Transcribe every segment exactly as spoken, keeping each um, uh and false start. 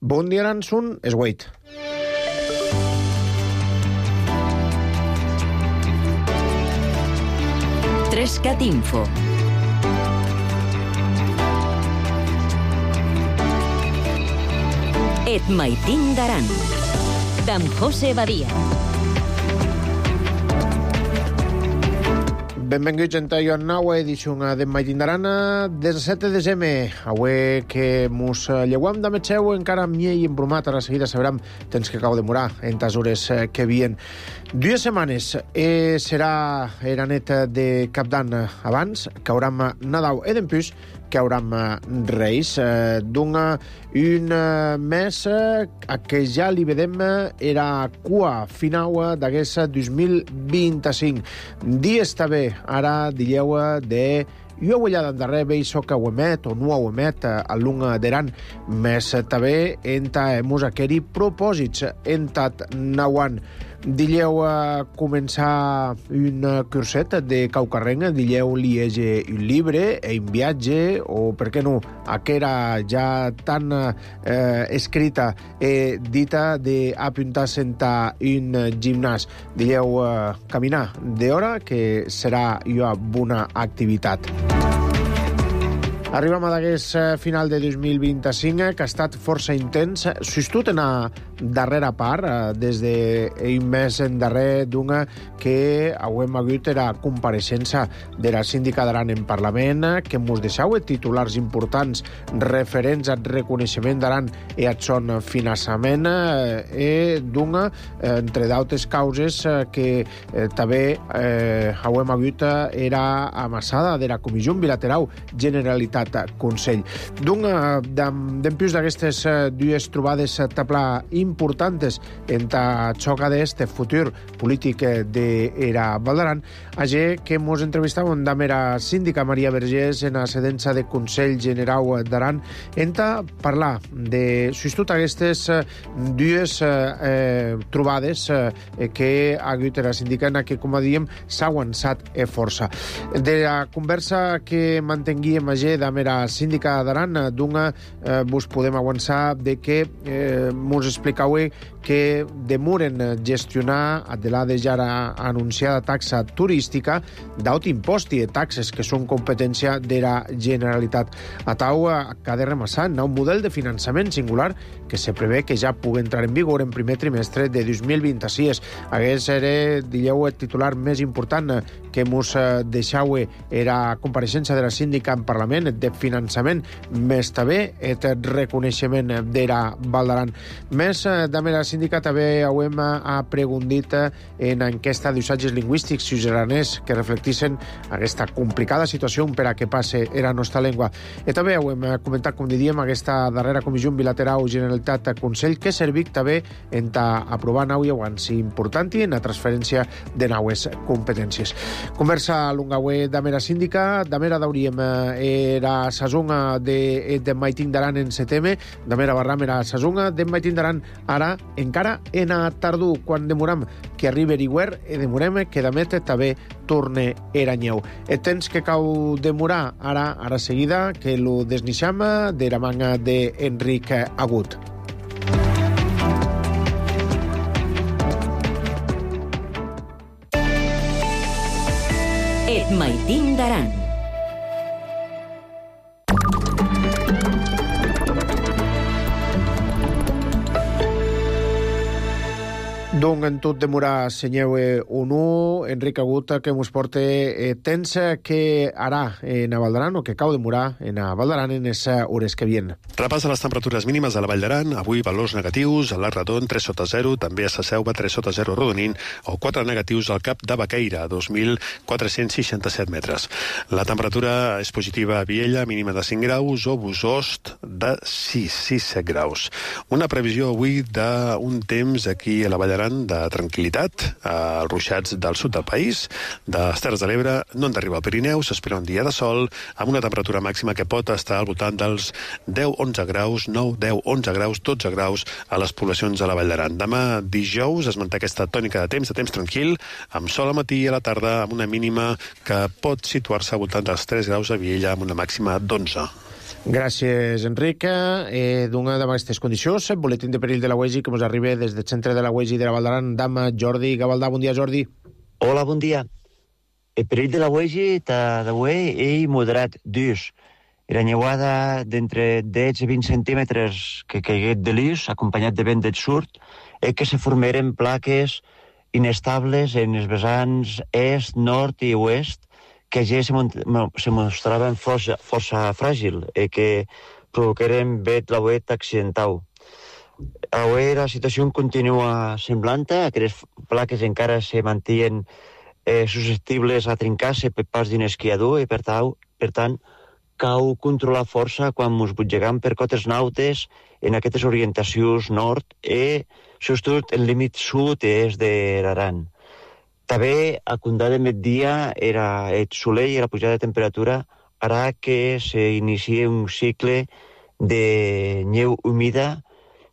Bon dia, Aransun, és Wait. Trescat Info. Et maitin d'Aran, d'en José Badia. Benvinguts a una nova edició de Maitin d'Aran des de set de desembre. Avui que mos lleguam de metxeu encara amb miei embrumat. A la seguida sabrem temps que acabo de morar en les hores que vien. Dues setmanes eh, serà era net de cap d'any abans, que hauram Nadal e dempús, que hauram Reis. Eh, D'una un mes eh, que ja li vedem era cua final d'aquest dos mil vint-i-cinc. Dies també, ara dieu de jo ho allà d'endarrer veig que ho emet o no ho emet a l'un d'Aran, més també enta hemos aqueri propòsits entat nauan. Dileu a començar un curset de Caucarrenc, dileu liege un llibre e un viatge, o per què no, aquera ja tan eh, escrita e dita d'apuntar-se a un gimnàs. Dileu a caminar d'hora, que serà una bona activitat. Arribem a d'aquest final de dos mil vint-i-cinc, que ha estat força intens, sostut en la darrera part, des d'un mes en darrer d'una que hem hagut la compareixença de la síndica d'Aran en Parlament, que mos deixeu titulars importants referents al reconeixement d'Aran i al son finançament, i d'una, entre d'altres causes, que també hem hagut era amassada de la Comissió Bilateral Generalitat Consell. D'un, d'empús d'aquestes dues trobades tabla importants en la xoca d'este futur polític d'era Val d'Aran, allà que mos entrevistàvem amb la síndica Maria Vergés en la sedença de Consell General d'Aran en parlar de justament aquestes dues eh, trobades eh, que ha hagut la síndica en què, com diem, s'ha avançat a força. De la conversa que mantenguíem allà amb la síndica d'Aran, d'una eh, vos podem avançar de que eh, mos explicau que demoren gestionar de la ja anunciada taxa turística d'aut impost i de taxes que són competència de la Generalitat. A tau que ha de remassar un model de finançament singular que se prevé que ja pugui entrar en vigor en primer trimestre de dos mil vint-i-sis. Hagués era, dieu, el titular més important que mos deixau era compareixença de la síndica en Parlament de finançament, més també el reconeixement de la Val d'Aran. Més de la síndica també hem preguntat en enquesta d'usatges lingüístics ciutadans que reflectissin aquesta complicada situació per a què passe la nostra llengua. I també hem comentat, com diríem, aquesta darrera Comissió Bilateral Generalitat Consell que servic també en aprovar nau i avanç important i en la transferència de naues competències. Conversa lungaue de mera síndica, de mera dauríem era sazonga de, de Maitin d'Aran en setembre, de mera barram era sazonga de Maitin d'Aran ara encara en a tardú, quan demoram que arribi l'hivern i demorem que damet també torne era nyeu. El temps que cau demorar ara, ara seguida, que lo desnixam de la manga d'Enric Agut. Et maitin d'Aran. Donc, en tot demorar, senyeu o no, Enric Agut, que mos porta eh, temps que ara en a Val d'Aran, o que cau demorar en a Val d'Aran en les hores que vien. Repàs de les temperatures mínimes a la Vall d'Aran. Avui valors negatius, a l'Arc Radon tres sota zero, també a Sa Selva tres sota zero Rodonín, o quatre negatius al Cap de Baqueira, dos mil quatre-cents seixanta-set metres. La temperatura és positiva a Viella, mínima de cinc graus, o Bosost de sis, sis, set graus. Una previsió avui d'un temps aquí a la Vall d'Aran de tranquil·litat, als ruixats del sud del país, de les Terres de l'Ebre, no han d'arribar al Pirineu, s'espera un dia de sol, amb una temperatura màxima que pot estar al voltant dels deu onze graus, nou, deu, onze graus, dotze graus a les poblacions de la Vall d'Aran. Demà dijous es manté aquesta tònica de temps, de temps tranquil, amb sol al matí i a la tarda, amb una mínima que pot situar-se al voltant dels tres graus a Viella, amb una màxima d'onze. Gràcies, Enric. Eh, D'una d'aquestes condicions, el boletín de perill de la U E G I que ens arriba des del centre de la U E G I de la Val d'Aran, d'Ama Jordi Gavaldà. Bon dia, Jordi. Hola, bon dia. El perill de la U E G I està d'avui és moderat d'ús. Era neuada d'entre deu i vint centímetres que caiguet de l'ús, acompanyat de vent del sud, és que se formeren plaques inestables en els vessants est, nord i oest, que ja se, se mostraven força, força fràgil i que provoqueren vet la vent accidental. Avui la situació continua semblant, aquestes plaques encara se mantien eh, susceptibles a trencar-se per pas d'un esquiador i per tant, per tant cal controlar força quan ens butgegam per cotes nautes en aquestes orientacions nord i sobretot el límit sud i est de l'Aran. També, a condar de migdia, era el soleil i la pujada de temperatura farà que s'iniciï un cicle de neu humida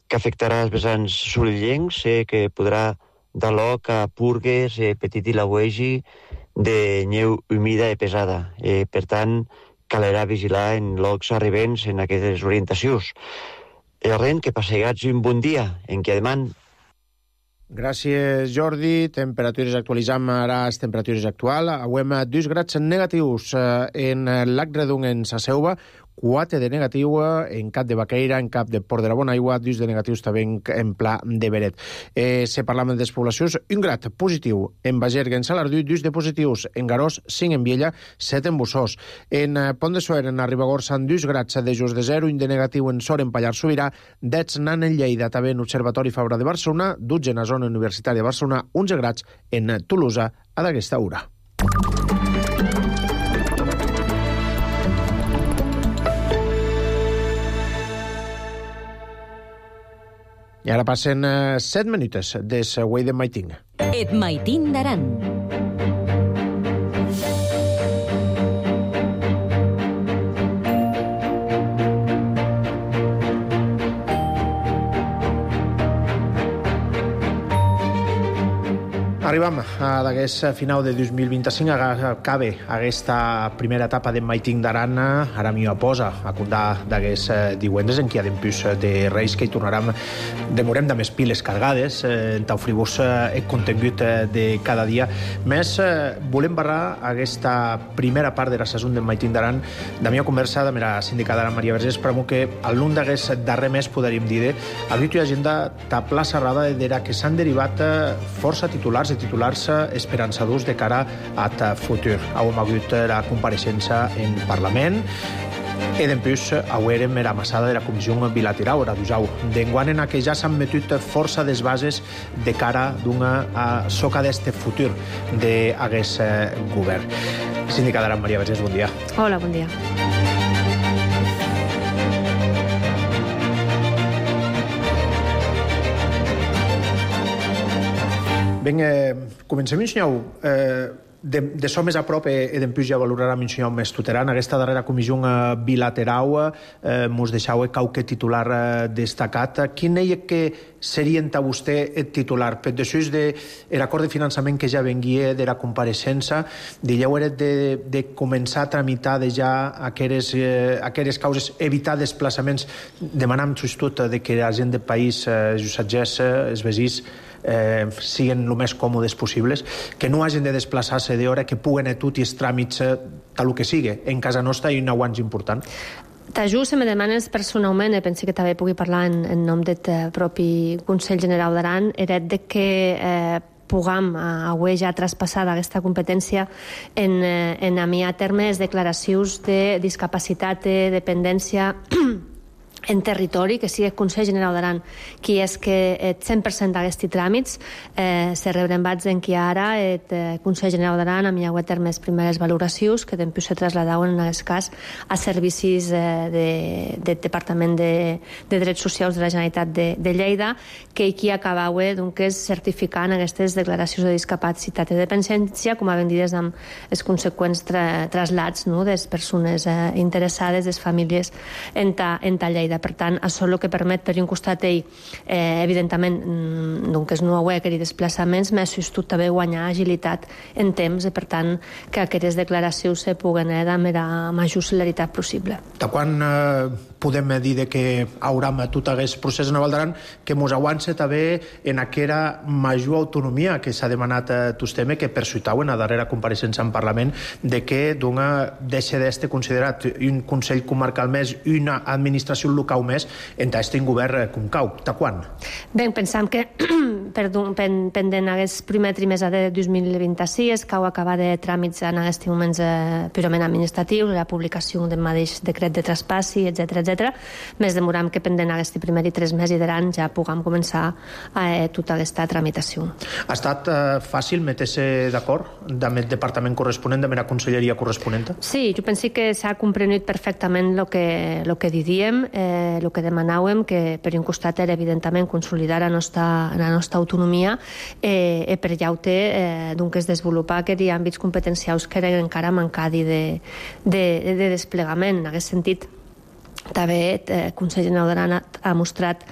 que afectarà els vessants solellencs, eh, que podrà dar lloc a purgues eh, petit i la U E G I de neu humida i pesada. Eh, per tant, calerà vigilar en llocs arribents en aquestes orientacions. El ren que passegats un bon dia, en què demà. Gràcies, Jordi. Temperatures actualitzam ara les temperatures actuals. Avui amb dos grads negatius en Lac Redung, en Sa Selva, quatre de negatiu en Cap de Baqueira, en Cap de Port de la Bonaigua, dos de negatius també en, en Pla de Beret. Eh, se parlam de despoblacions, un grad positiu en Bagerga, en Salardú, dos de positius en Garós, cinc en Viella, set en Bussós. En eh, Pont de Suert, en Ribagorça, dos grads de just de zero, un de negatiu en Sor, en Pallars Sobirà, deu nan en Lleida, també en Observatori Fabra de Barcelona, dotze en la zona universitària de Barcelona, onze grads en Tolosa a d'aquesta hora. I ara passen uh, set minutes des Way de Maiting. Et Maiting d'Aran. Arribam a d'aquest final de dos mil vint-i-cinc, acaba aquesta primera etapa de Maiting d'Aran. Ara m'hi posa a comptar d'aquests diuentres en què hi ha d'empús de Reis que hi tornarem, demorem de més piles cargades, en tau fribus el contingut de cada dia. Més, volem barrar aquesta primera part de la saison de Maiting d'Aran de meva conversa amb la sindicada Aran Maria Vergés, però que al lluny d'aquest darrer mes podríem dir a l'última agenda ta plaça rada d'era que s'han derivat força titulars i titulars esperançadors de cara a futur. Avui hem hagut la compareixença en Parlament i d'empús avui érem la massada de la Comissió Bilateral a Dusau. D'enguant en què ja s'han metut força des bases de cara d'una a soca d'este futur d'aquest govern. Sindicada Aran Maria Vergés, bon dia. Hola, bon dia. Ben, eh, comencem, Minyau. Eh, de, de so més a prop e, e d'empús ja valorarà Minyau més tuteran. Aquesta darrera comissió eh, bilateral eh, mos deixau qualque titular eh, destacat. Quin és que serien ta vostè el titular? Per després de l'acord de finançament que ja venguia de la compareixença, dieu era de, de començar a tramitar de ja aqueres, eh, aqueres causes, evitar desplaçaments, demanant tot de que la gent del país, eh, els usatgers, els vesins, Eh, siguin el més còmodes possibles, que no hagin de desplaçar-se d'hora, que puguen a tot i els tràmits eh, tal que sigui. En casa nostra hi ha un aguanç important. T'ajut, si me demanes personalment, e penso que també pugui parlar en, en nom del propi Consell General d'Aran, era de que eh, puguem avui ja traspassar aquesta competència en, en a mi a termes declaracions de discapacitat, de dependència en territori, que sigui el Consell General d'Aran qui és que el cent per cent d'aquests tràmits eh, se rebren bats en qui ara el eh, Consell General d'Aran amb hi ha termes primeres valoracions que després se traslladaven en aquest cas a servicis eh, de, del Departament de, de Drets Socials de la Generalitat de, de Lleida, que aquí acabava doncs, certificant aquestes declaracions de discapacitat i dependència, com a vendides amb els conseqüents tra, traslats no, de les persones eh, interessades, de les famílies en ta, en ta Lleida. Baqueira. Per tant, això el que permet, per un costat, ell, eh, evidentment, doncs no hauria aquells desplaçaments, més sostut també guanyar agilitat en temps, i per tant, que aquestes declaracions se puguen anar amb la major celeritat possible. De quan eh, podem dir de que hauram tot aquest procés en Val d'Aran que mos aguance també en aquella major autonomia que s'ha demanat a Tusteme, que persuitau en la darrera compareixença en Parlament, de que d'una deixa d'este considerat un Consell Comarcal més, una administració local més, entre este govern concau. De quan? Bé, pensam que perdó, pen, pendent aquest primer trimestre de dos mil vint-i-sis, cau acabar de tràmits en aquests moments eh, purament administratius, la publicació del mateix decret de traspassi, etcètera, etcètera. Més demoram que pendent aquest primer i tres mesos d'any ja puguem començar eh, tota aquesta tramitació. Ha estat eh, fàcil metre-se d'acord amb el departament corresponent, amb la conselleria corresponent? Sí, jo penso que s'ha comprenut perfectament el que, lo que didíem, el eh, que demanàvem, que per un costat era evidentment consolidar la nostra, la nostra autonomia eh, i per llaute eh, doncs desenvolupar aquells àmbits competencials que eren encara mancadi de, de, de desplegament. En aquest sentit, també el Consell General d'Aran ha mostrat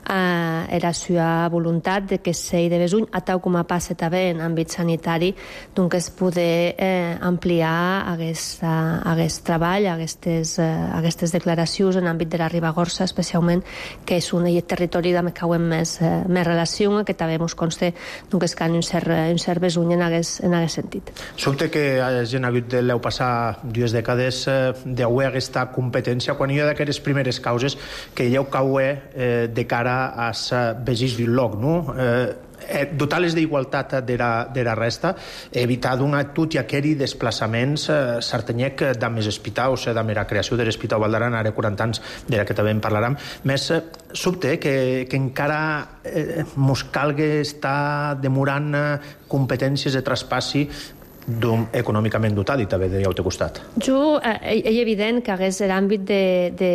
eh, la seva voluntat de que s'hi de besuny, a tal com a passa també en àmbit sanitari, doncs poder eh, ampliar aquest, aquest treball, aquestes, eh, aquestes declaracions en àmbit de la Ribagorça, especialment, que és un territori amb què hem més, eh, més relació, que també ens consta doncs, que hi ha un cert, un cert besuny en aquest, en aquest sentit. Sobte que hagin hagut de l'eu passar dues dècades eh, d'haver aquesta competència, quan hi ha d'aquestes primeres causes que hi ha eh, de cara als veïns d'un lloc, no? Eh, dotar-les d'igualtat de la, de la resta, evitar donar tot i aquells desplaçaments eh, certanyec de més hospitals, eh, de la creació de l'Hospital Val d'Aran, ara quaranta anys, de la que també en parlarem, més eh, sobte que, que encara eh, mos calgui estar demorant eh, competències de traspassi d'un econòmicament dotat i també de l'altre costat. Jo, eh, és evident que hagués l'àmbit de, de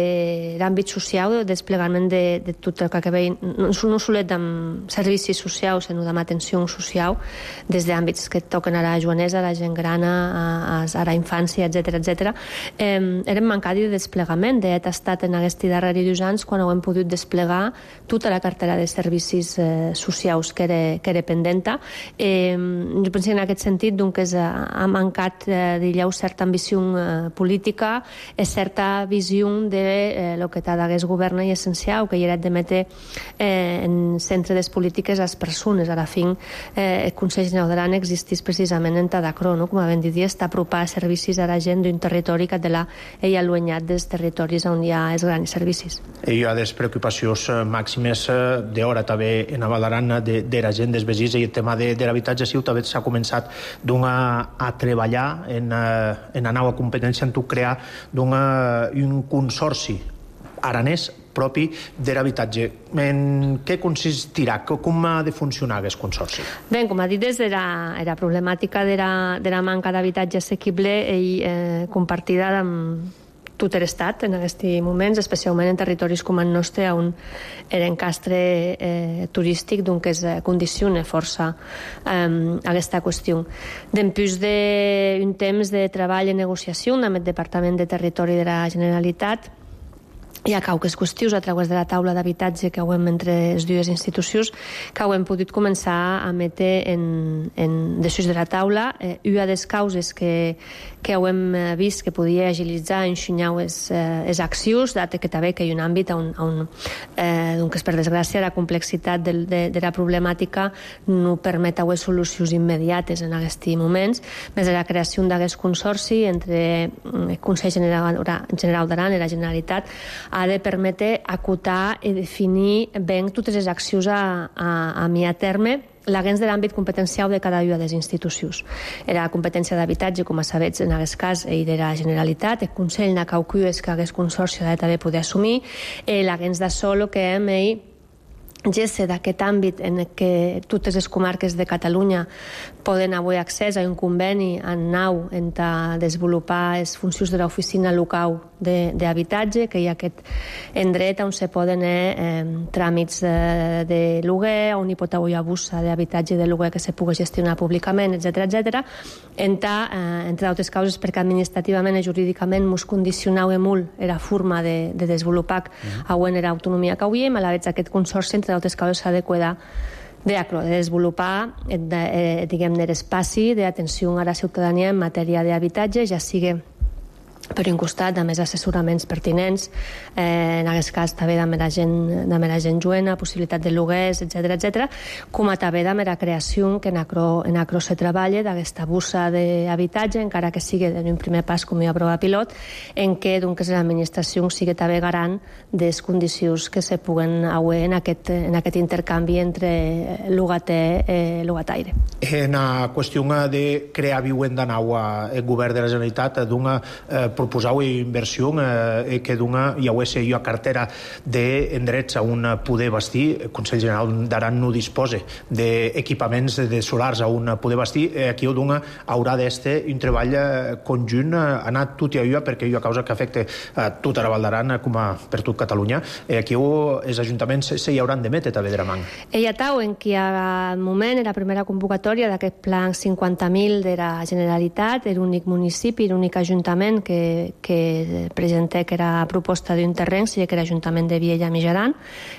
l'àmbit social, el desplegament de, de tot el que ve, no, no solet amb servicis socials, sinó amb atenció social, des d'àmbits que toquen a la joanesa, a la gent grana, a, a la infància, etcètera, etcètera. Eh, eren mancats de desplegament. De fet, ha estat en aquests darrers dos anys quan hem pogut desplegar tota la cartera de servicis eh, socials que era, que era pendenta. Eh, jo penso que en aquest sentit, doncs, és ha mancat eh, d'allò certa ambició eh, política i certa visió de eh, lo que t'ha d'hagués govern i essencial, que hi era de metre eh, en centre de les polítiques a les persones. A la fin, eh, el Consell General d'Aran existís precisament en Tadacro, no? Com a ben dit, està apropar servicis a la gent d'un territori que de la ell allunyat dels territoris on hi ha els grans servicis. Hi ha des preocupacions màximes d'hora també en Val d'Aran de, de la gent dels veïns, i el tema de, de l'habitatge sí, també s'ha començat d'una a treballar en, en la nova competència en tu crear un consorci aranès propi de l'habitatge. En què consistirà? Com ha de funcionar aquest consorci? Bé, com ha dit, des de la, la problemàtica de la, de la manca d'habitatge assequible i eh, compartida amb tot l'estat en aquests moments, especialment en territoris com el nostre, on l'encastre eh, turístic doncs, es condiciona força eh, aquesta qüestió. Després d'un temps de treball i negociació amb el Departament de Territori de la Generalitat, hi ha cauques qüestions a través de la taula d'habitatge que hem entre les dues institucions que hem pogut començar a metre en, en després de la taula. Eh, una de les causes que, que hem vist que podia agilitzar i enxunyar les, eh, les accions, dat que també que hi ha un àmbit on, on eh, doncs, per desgràcia, la complexitat de, de, de la problemàtica no permet haver solucions immediates en aquests moments, més de la creació d'aquest consorci entre el Consell General, General d'Aran i la Generalitat ha de permetre acotar i definir ben totes les accions a, a, a mi a terme l'agens de l'àmbit competencial de cada una de les institucions. Era la competència d'habitatge, com a sabets, en aquest cas, i de la Generalitat, el Consell de Caucues que aquest consorci ha de també poder assumir, l'agens de solo que hem ell gesse d'aquest àmbit en què totes les comarques de Catalunya poden avui accés a un conveni en nau en desenvolupar les funcions de l'oficina local d'habitatge, que hi ha aquest endret on se poden eh, tràmits de, de lloguer, on hi pot haver abusa d'habitatge de lloguer que se pugui gestionar públicament, etcètera, etcètera, eh, entre altres causes perquè administrativament i jurídicament mos condicionava molt la forma de, de desenvolupar mm. a era autonomia que havíem, a la vegada aquest consorci entre altres causes s'ha de cuidar de, de desenvolupar eh, diguem-ne l'espai d'atenció a la ciutadania en matèria d'habitatge, ja sigui per un costat, a més assessoraments pertinents, eh, en aquest cas també de la gent, de la gent joena, possibilitat de lloguers, etcètera, etcètera, com a també de la creació que en acro, en acro se treballa d'aquesta busa d'habitatge, encara que sigui en un primer pas com hi ha prova pilot, en què doncs, l'administració sigui també garant de les condicions que se puguen haver en aquest, en aquest intercanvi entre llogater i eh, llogataire. En la qüestió de crear vivenda nova, el govern de la Generalitat d'una eh, proposau inversió eh, que dona, ja ho he jo a cartera d'endrets a un poder bastir. El Consell General d'Aran no disposa d'equipaments de solars a un poder bastir. Eh, aquí ho dona, haurà d'este un treball conjunt, eh, anat tot i allò, perquè hi ha causa que afecta a tota la Val d'Aran com a per tot Catalunya. Eh, aquí ho, els ajuntaments se hi hauran de metre també de la man. Ella tau en qui al moment era la primera convocatòria d'aquest plan cinquanta mil de la Generalitat, era l'únic municipi, l'únic ajuntament que que presenté que era proposta d'un terreny, sigui que era l'Ajuntament de Viella Mijaran,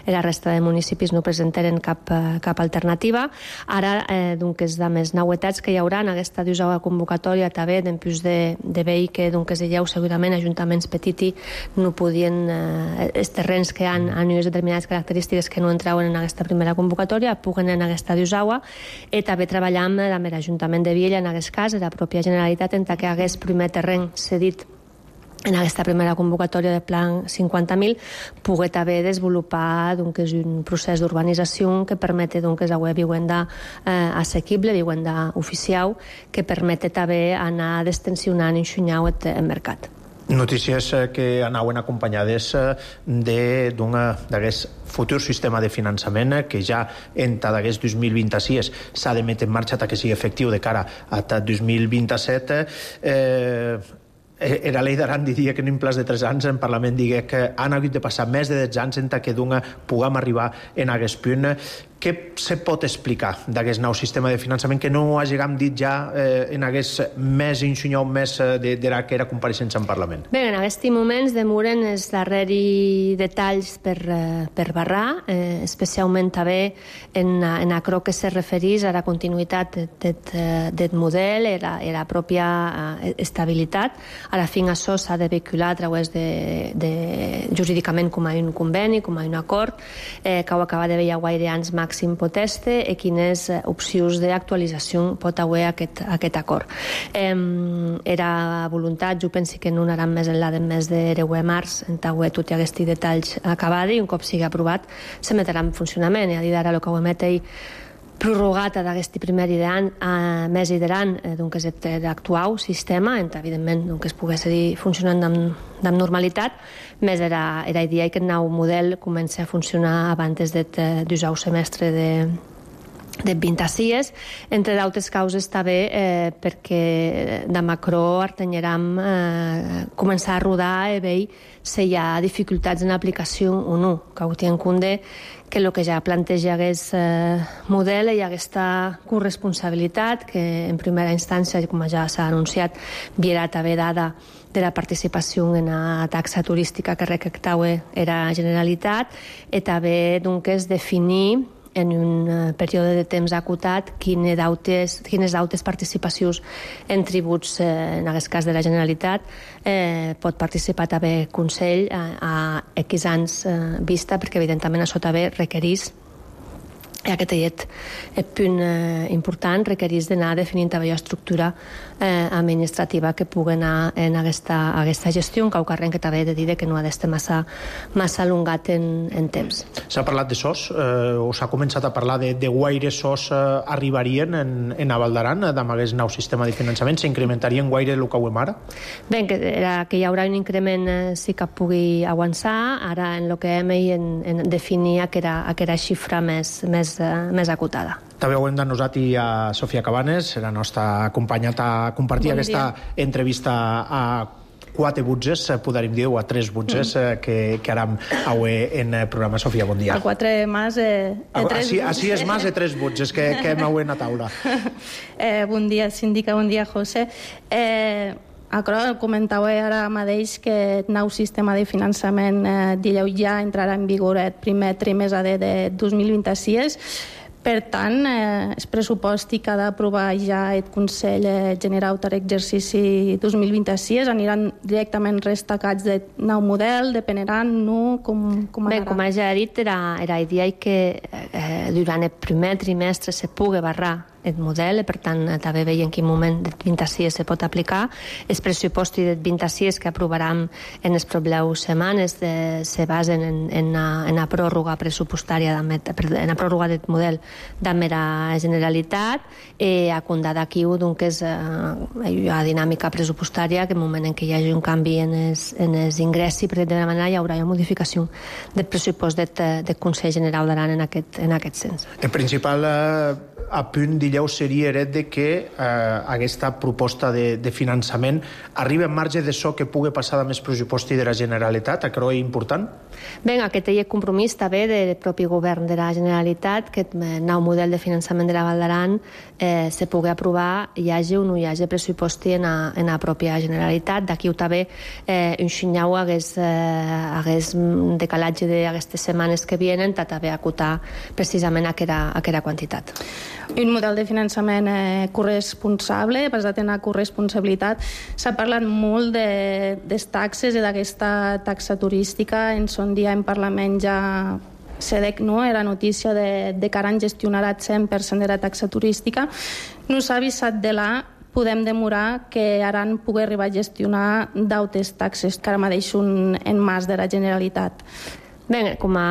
i la resta de municipis no presentaren cap, cap alternativa. Ara, eh, doncs, de més novetats que hi haurà en aquesta d'usada convocatòria també, d'empús de, de veir que doncs, hi ha segurament ajuntaments petits no podien, eh, els terrenys que han, han unes determinades característiques que no entraven en aquesta primera convocatòria, puguen en aquesta d'usada, i també treballar amb l'Ajuntament de Viella, en aquest cas, la pròpia Generalitat, en que hagués primer terreny cedit en aquesta primera convocatòria de plan cinquanta mil, poder també desenvolupar doncs, un procés d'urbanització que permeti doncs, haver vivenda eh, assequible, vivenda oficial, que permeti també anar destensionant i enxunyant el mercat. Notícies que anaven acompanyades d'aquest futur sistema de finançament que ja en d'aquest dos mil vint-i-sis s'ha de metre en marxa que sigui efectiu de cara a dos mil vint-i-set. Eh, era llei d'Aran diria que en un plaç de tres anys en Parlament digui que han hagut de passar més de dotze anys en que puguem arribar en aquest punt. Què se pot explicar d'aquest nou sistema de finançament que no hàgim dit ja eh, en aquest més insunyau més de, de la que era compareixença en Parlament? Bé, en aquests moments demoren els darrers detalls per, per barrar, eh, especialment també en, en aquello que se referís a la continuïtat del model i la, la pròpia estabilitat. A la fin això s'ha de vehicular a través de, de jurídicament com a un conveni, com a un acord, eh, que ho acaba de veure guaire anys màxim poteste i quines opcions d'actualització pot haver aquest, aquest acord. Eh, era voluntat, jo penso que no anaran més enllà del mes de deu de març, en taüer tot i aquests detalls acabats i un cop sigui aprovat se metrà en funcionament. I a dir d'ara el que ho emet ell prorrogat d'aquest primer any a més i d'any doncs, l'actual sistema, en evidentment doncs, es pogués seguir funcionant amb, amb normalitat, més era, era idea que el nou model comença a funcionar abans del semestre de de vint-i-sis, entre d'altres causes també eh, perquè de macro artenyeram eh, començar a rodar i veure si hi ha dificultats en l'aplicació o no, que ho tenen en compte que el que ja planteja aquest eh, model hi ha aquesta corresponsabilitat que en primera instància, com ja s'ha anunciat, virà també dada de la participació en la taxa turística que recaptava era Generalitat i també doncs, definir en un període de temps acotat quines dautes, quines dautes participacions en tributs, eh, en aquest cas de la Generalitat, eh, pot participar també el Consell a, a X anys eh, vista, perquè evidentment això també requereix I aquest llet, el punt eh, important, requereix d'anar definint també l'estructura eh, administrativa que pugui anar en aquesta, aquesta gestió, un caucarrent que també he de dir que no ha d'estar massa, massa allongat en, en temps. S'ha parlat de sos, eh, o s'ha començat a parlar de, de guaire sos eh, arribarien en, en Val d'Aran, amb aquest nou sistema de finançament, s'incrementarien guaire el que ho hem ara? Bé, que, era, que hi haurà un increment eh, sí que pugui avançar, ara en el que hem en, en definir aquella, aquella xifra més, més més acotada. També ho hem denosat a Sofia Cabanes, la nostra acompanyat a compartir bon aquesta dia. Entrevista a quatre butzes, podríem dir, o a tres butzes, mm. que, que aram avui en el programa. Sofia, bon dia. A quatre más de, de tres butzes. Així és más de tres butzes que, que hem avui en la taula. eh, bon dia, síndica, bon dia, José. Eh, Acro, comentava ara mateix que el nou sistema de finançament eh, dileu ja entrarà en vigor el primer trimestre de dos mil vint-i-sis. Per tant, eh, el pressupost que ha d'aprovar ja el Consell General per l'exercici dos mil vint-i-sis aniran directament destacats del nou model, dependran, no? Com, com Bé, com ja he dit, era, era idea que eh, durant el primer trimestre se pugui barrar el model, per tant, també veiem en quin moment del vint-i-sis se pot aplicar. El pressupost del vint-i-sis que aprovarem en les properes setmanes de, se basen en, en, la, en la pròrroga pressupostària, en la pròrroga del model de mera Generalitat, i a comptar d'aquí que és eh, la dinàmica pressupostària, que en el moment en què hi hagi un canvi en els, en els ingressos, per de manera hi haurà una modificació del pressupost del, del Consell General d'Aran en aquest, en aquest sens. El principal eh... a punt, dileu, seria heret de que eh, aquesta proposta de, de finançament arriba en marge de so que pugui passar de més pressupost de la Generalitat. Això és important? Bé, aquest és el compromís també del propi govern de la Generalitat, que el nou model de finançament de la Val d'Aran eh, se pugui aprovar, hi hagi o no hi hagi pressupost en la, en la pròpia Generalitat. D'aquí també eh, un xinyau hagués, eh, hagués decalatge d'aquestes setmanes que vienen, per també acotar precisament aquella, aquella quantitat. Un model de finançament eh, corresponsable, basat en la corresponsabilitat. S'ha parlat molt de, de taxes i d'aquesta taxa turística. En son dia en Parlament ja se dec, no? Era notícia de, de que Aran gestionarà el cent per cent de la taxa turística. No s'ha avisat de la podem demorar que Aran pugui arribar a gestionar d'altres taxes que ara mateix són en mans de la Generalitat. Bé, com a...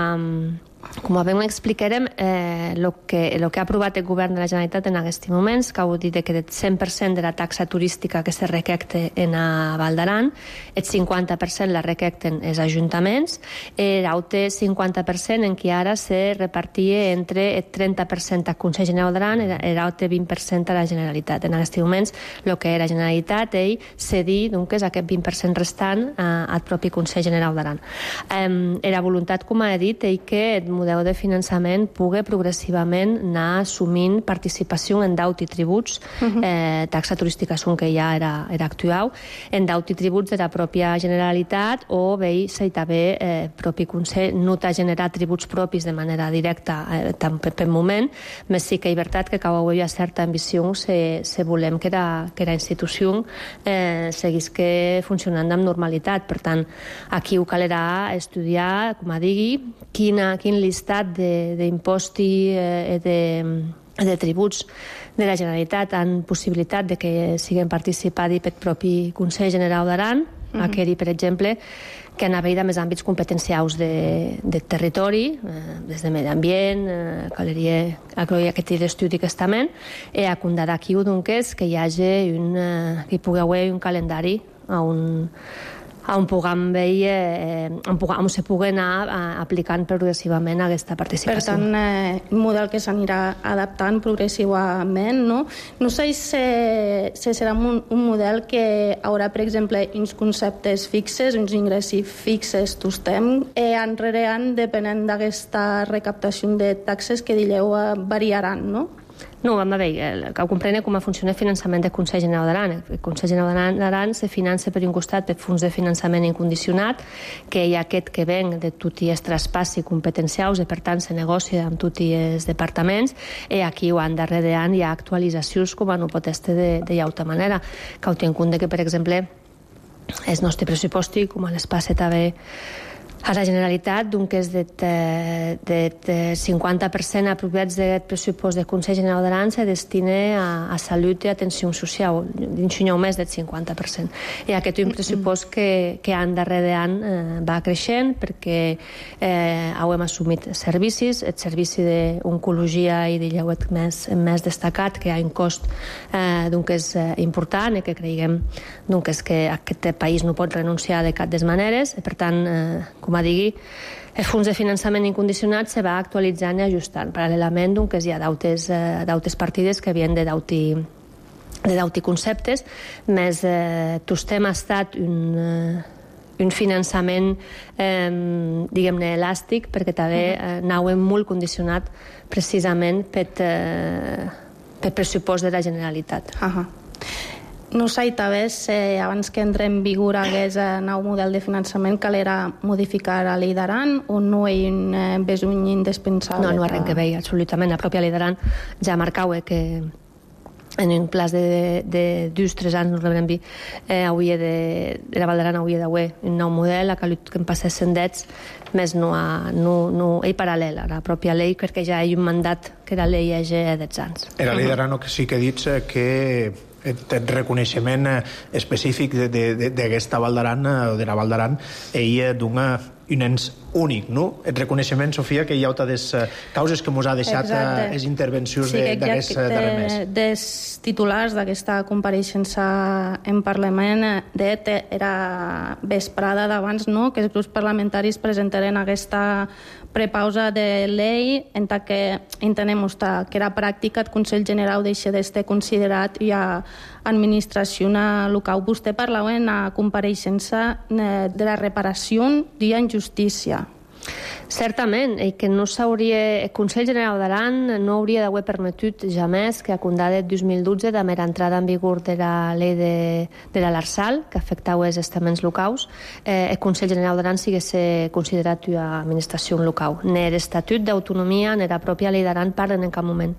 Com ben explicarem, eh, el que, lo que ha aprovat el govern de la Generalitat en aquests moments, que ho dit que el cent per cent de la taxa turística que se recapta en a Val d'Aran, el cinquanta per cent la recapten els ajuntaments, l'altre cinquanta per cent en què ara se repartia entre el trenta per cent al Consell General d'Aran i l'altre vint per cent a la Generalitat. En aquests moments, el que era Generalitat, ell cedir doncs, aquest vint per cent restant eh, al propi Consell General d'Aran. Eh, era voluntat, com he dit, ell que el model de finançament pugui progressivament anar assumint participació en deute i tributs, uh-huh. eh, taxa turística és un que ja era, era actual, en deute i tributs de la pròpia Generalitat, o bé, si també eh, propi Consell no t'ha generat tributs propis de manera directa eh, tant per, per moment, més sí que és veritat que cau hi ha certa ambició si, si volem que la, que la institució eh, seguís que funcionant amb normalitat. Per tant, aquí ho calerà estudiar, com a digui, quina, quin listat d'imposts i eh, de, de tributs de la Generalitat han possibilitat de que siguin participats pel propi Consell General d'Aran, uh-huh. aquell, per exemple, que han hagut més àmbits competencials de, de territori, eh, des de medi ambient, eh, caleria, aquest estudi que estament, i a comptar d'aquí doncs, que hi hagi un, eh, que hi pugui haver un calendari a un on puguem veure, eh, on, puguem, on se pugui anar eh, aplicant progressivament aquesta participació. Per tant, eh, un model que s'anirà adaptant progressivament, no? No sé si, si serà un, un model que haurà, per exemple, uns conceptes fixes, uns ingressos fixes, tostem, i enrere an, depenent d'aquesta recaptació de taxes que dileu variaran, no? No, vam veure, que comprene com funciona el finançament del Consell General d'Aran. El Consell General d'Aran se finança per un costat per fons de finançament incondicionat, que hi ha aquest que ven de tots els traspassi competencials i per tant se negocia amb tots els departaments, i aquí ho han darrere any hi ha actualitzacions com no pot estar de, de llauta manera, que ho tinc en compte que, per exemple, el nostre pressupost, com a l'espai també A la Generalitat, donc, és del cinquanta per cent apropiats d'aquest pressupost del Consell General d'Aran se destina a, a salut i atenció social, dins un més del cinquanta per cent. I aquest és un pressupost que, que any darrere any eh, va creixent perquè eh, hem assumit servicis, el servici d'oncologia i de lleuet més, més destacat, que hi ha un cost eh, donc, és eh, important i que creiem donc, és que aquest país no pot renunciar de cap des maneres, i per tant, eh, com a digui, el fons de finançament incondicionat se va actualitzant i ajustant. Paral·lelament, doncs, hi ha d'altres eh, partides que havien de dauti de dauti conceptes, més eh, tot tema ha estat un, eh, un finançament eh, diguem-ne elàstic, perquè també eh, anàvem molt condicionat precisament per, eh, per pressupost de la Generalitat. Uh -huh. No sé, també, eh, abans que entre en vigor aquest eh, nou model de finançament, calera modificar la llei d'Aran o no hi ha un besony indispensable? No, no arrenca que... bé, absolutament. La pròpia llei d'Aran ja marcava que en un plaç de, de dos tres anys, no rebrem bé, eh, hauria de, de la Val d'Aran hauria d'haver un nou model, a que em passessin dets, més no, ha, no, no hi paral·lel a la pròpia llei, perquè ja hi ha un mandat que la llei hi ha dets anys. Era la llei d'Aran que sí que dits que el reconeixement específic d'aquesta Val d'Aran o de la Val d'Aran ella dona un ens únic, no? El reconeixement, Sofia, que hi ha altres causes que ens ha deixat les intervencions sí, d'aquest darrer mes. Dels titulars d'aquesta compareixença en Parlament de era vesprada d'abans, no?, que els grups parlamentaris presentaren aquesta prepausa de llei en tant que entenem que era pràctica el Consell General deixa d'estar considerat i a administració local. Vostè parlava en la compareixença de la reparació d'ia injustícia. Certament, i que no s'hauria... El Consell General d'Aran no hauria d'haver permetut jamais que a condà del dos mil dotze, de mera entrada en vigor de la llei de, de la l'Arsal, que afectava els estaments locals, eh, el Consell General d'Aran sigués considerat una administració local. Ni l'Estatut d'autonomia ni la pròpia llei d'Aran parlen en cap moment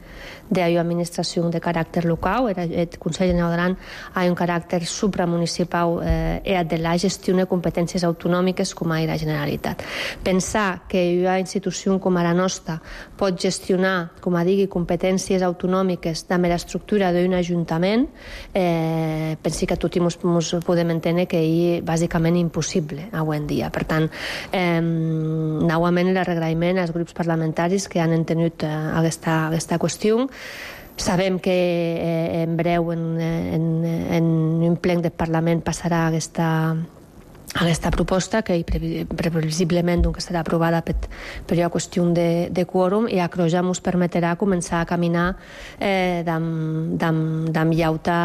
d'una administració de caràcter local. El Consell General d'Aran ha un caràcter supramunicipal eh, i de la gestió de competències autonòmiques com a la Generalitat. Pensar que una institució com la nostra pot gestionar, com a digui, competències autonòmiques de mera estructura d'un ajuntament, eh, pensi que tots ens podem entendre que és bàsicament impossible avui en dia. Per tant, eh, novament l'agraïment als grups parlamentaris que han entenut eh, aquesta, aquesta qüestió. Sabem que eh, en breu en, en, en un ple del Parlament passarà aquesta aquesta proposta, que previsiblement doncs, serà aprovada per, per una qüestió de, de quòrum, i a Croja ens permetrà començar a caminar eh, d'am llauta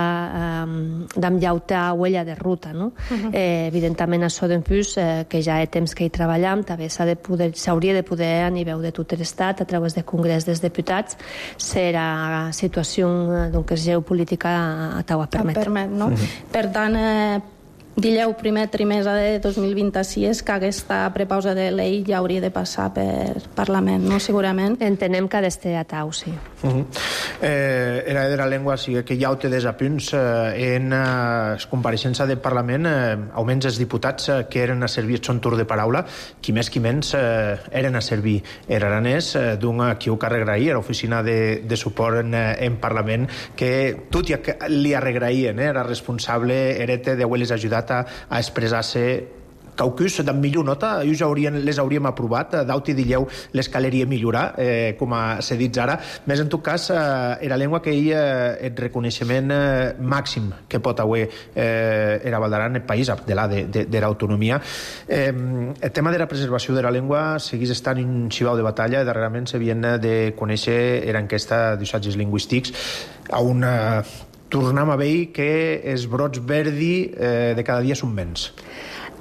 d'am llauta huella de ruta. No? Uh-huh. eh, evidentment, això doncs, eh, que ja hi ha temps que hi treballem, també s'hauria de poder a nivell de tot l'Estat, a través del Congrés dels Diputats, ser a situació doncs, geopolítica a tau a permetre. Permet, no? Uh-huh. Per tant, eh, Dileu primer trimestre de dos mil vint-i-sis que aquesta prepausa de llei ja hauria de passar per Parlament, no? Segurament. Entenem que ha d'estar a tau, sí. Uh-huh. eh, era de la llengua, sí, que hi ha altres apunts eh, en eh, compareixença del Parlament, eh, almenys els diputats eh, que eren a servir el son torn de paraula, qui més qui menys eh, eren a servir era aranès, eh, d'un qui ho carregaria, l'oficina de, de suport en, en Parlament, que tot ja li arregraïen, eh, era responsable, erete de haver-les ajudat a, a expressar-se caucus de millor nota, ells haurien, les hauríem aprovat, d'auti dilleu les caleria millorar, eh, com s'ha dit ara, més en tot cas eh, era llengua que hi ha el reconeixement eh, màxim que pot haver eh, era Val d'Aran, el país de la de, de, de l'autonomia. Eh, el tema de la preservació de la llengua seguís estant un xivau de batalla, darrerament s'havien de conèixer era enquesta d'ussatges lingüístics a una... Tornem a veure que els brots verdi eh, de cada dia són menys.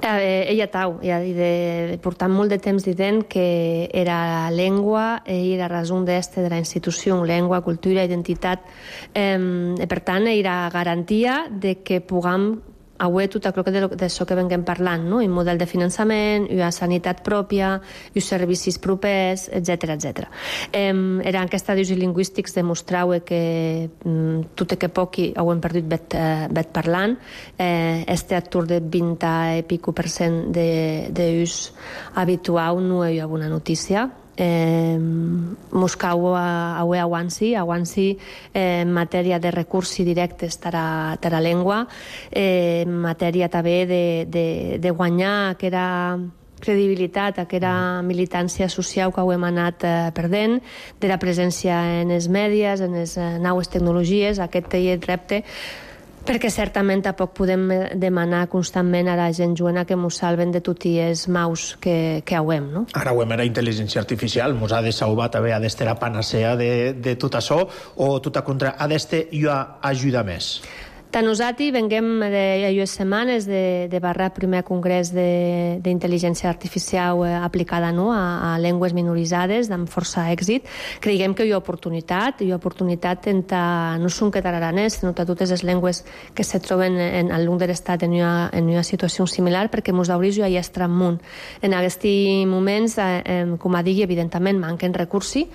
Eh, ella tau, ja de, portant molt de temps dient que era la llengua i la raó d'este de la institució, llengua, cultura, identitat. Eh, per tant, era garantia de que puguem avui tot allò que d'això que venguem parlant, no? Un model de finançament, una sanitat pròpia, uns servicis propers, etcètera, etcètera. Eh, eren aquests estudis lingüístics demostrau que mm, tot i que poc ho hem perdut bet, eh, bet parlant, eh, este atur de vint i pico per cent d'ús habitual no hi ha una notícia. Eh, Moscou avui avanci, avanci eh, en matèria de recursos directes per a, per a llengua, eh, en matèria també de, de, de guanyar aquella credibilitat, aquella militància social que ho hem anat eh, perdent, de la presència en els mèdies, en les eh, noves tecnologies, aquest és el repte, perquè certament tampoc podem demanar constantment a la gent joana que mos salven de tots els maus que, que hauem, no? Ara ho hem era intel·ligència artificial, mos ha de salvar també, ha d'estar la panacea de, de tot això, o tot a contra, ha d'estar i ajuda més? Tant nosaltres venguem de dues setmanes de, de barrar el primer congrés d'intel·ligència artificial eh, aplicada no, a, a llengües minoritzades amb força èxit. Creiem que hi ha oportunitat, hi ha oportunitat entre, no són que tararanès, sinó que totes les llengües que se troben en, en l'un de l'estat en, una, en una situació similar, perquè mos hauria ja hi estar amunt. En aquests moments, eh, eh, com a digui, evidentment manquen recursos,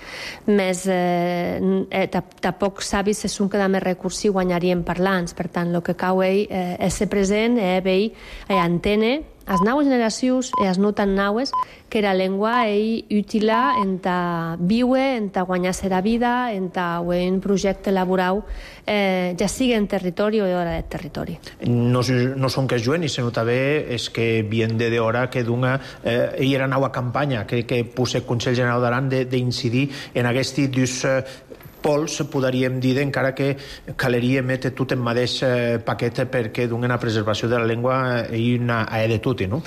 més eh, eh, tampoc sabi si són que de més recursos guanyarien parlants. Per tant, el que cau ell eh, és ser present, eh, ell eh, entene les noves generacions i les no tan noves que la llengua és útil en ta viure, en ta guanyar-se la vida, en ta un projecte laboral, eh, ja sigui en territori o de territori. No, no són que es juguen, i se nota bé és que viene de hora que d'una eh, hi era nova campanya que, que puse el Consell General d'Aran d'incidir en aquests dos eh, pols, podríem dir, encara que caleria emetre tot en mateix eh, paquet perquè donen la preservació de la llengua i una a de tot, no?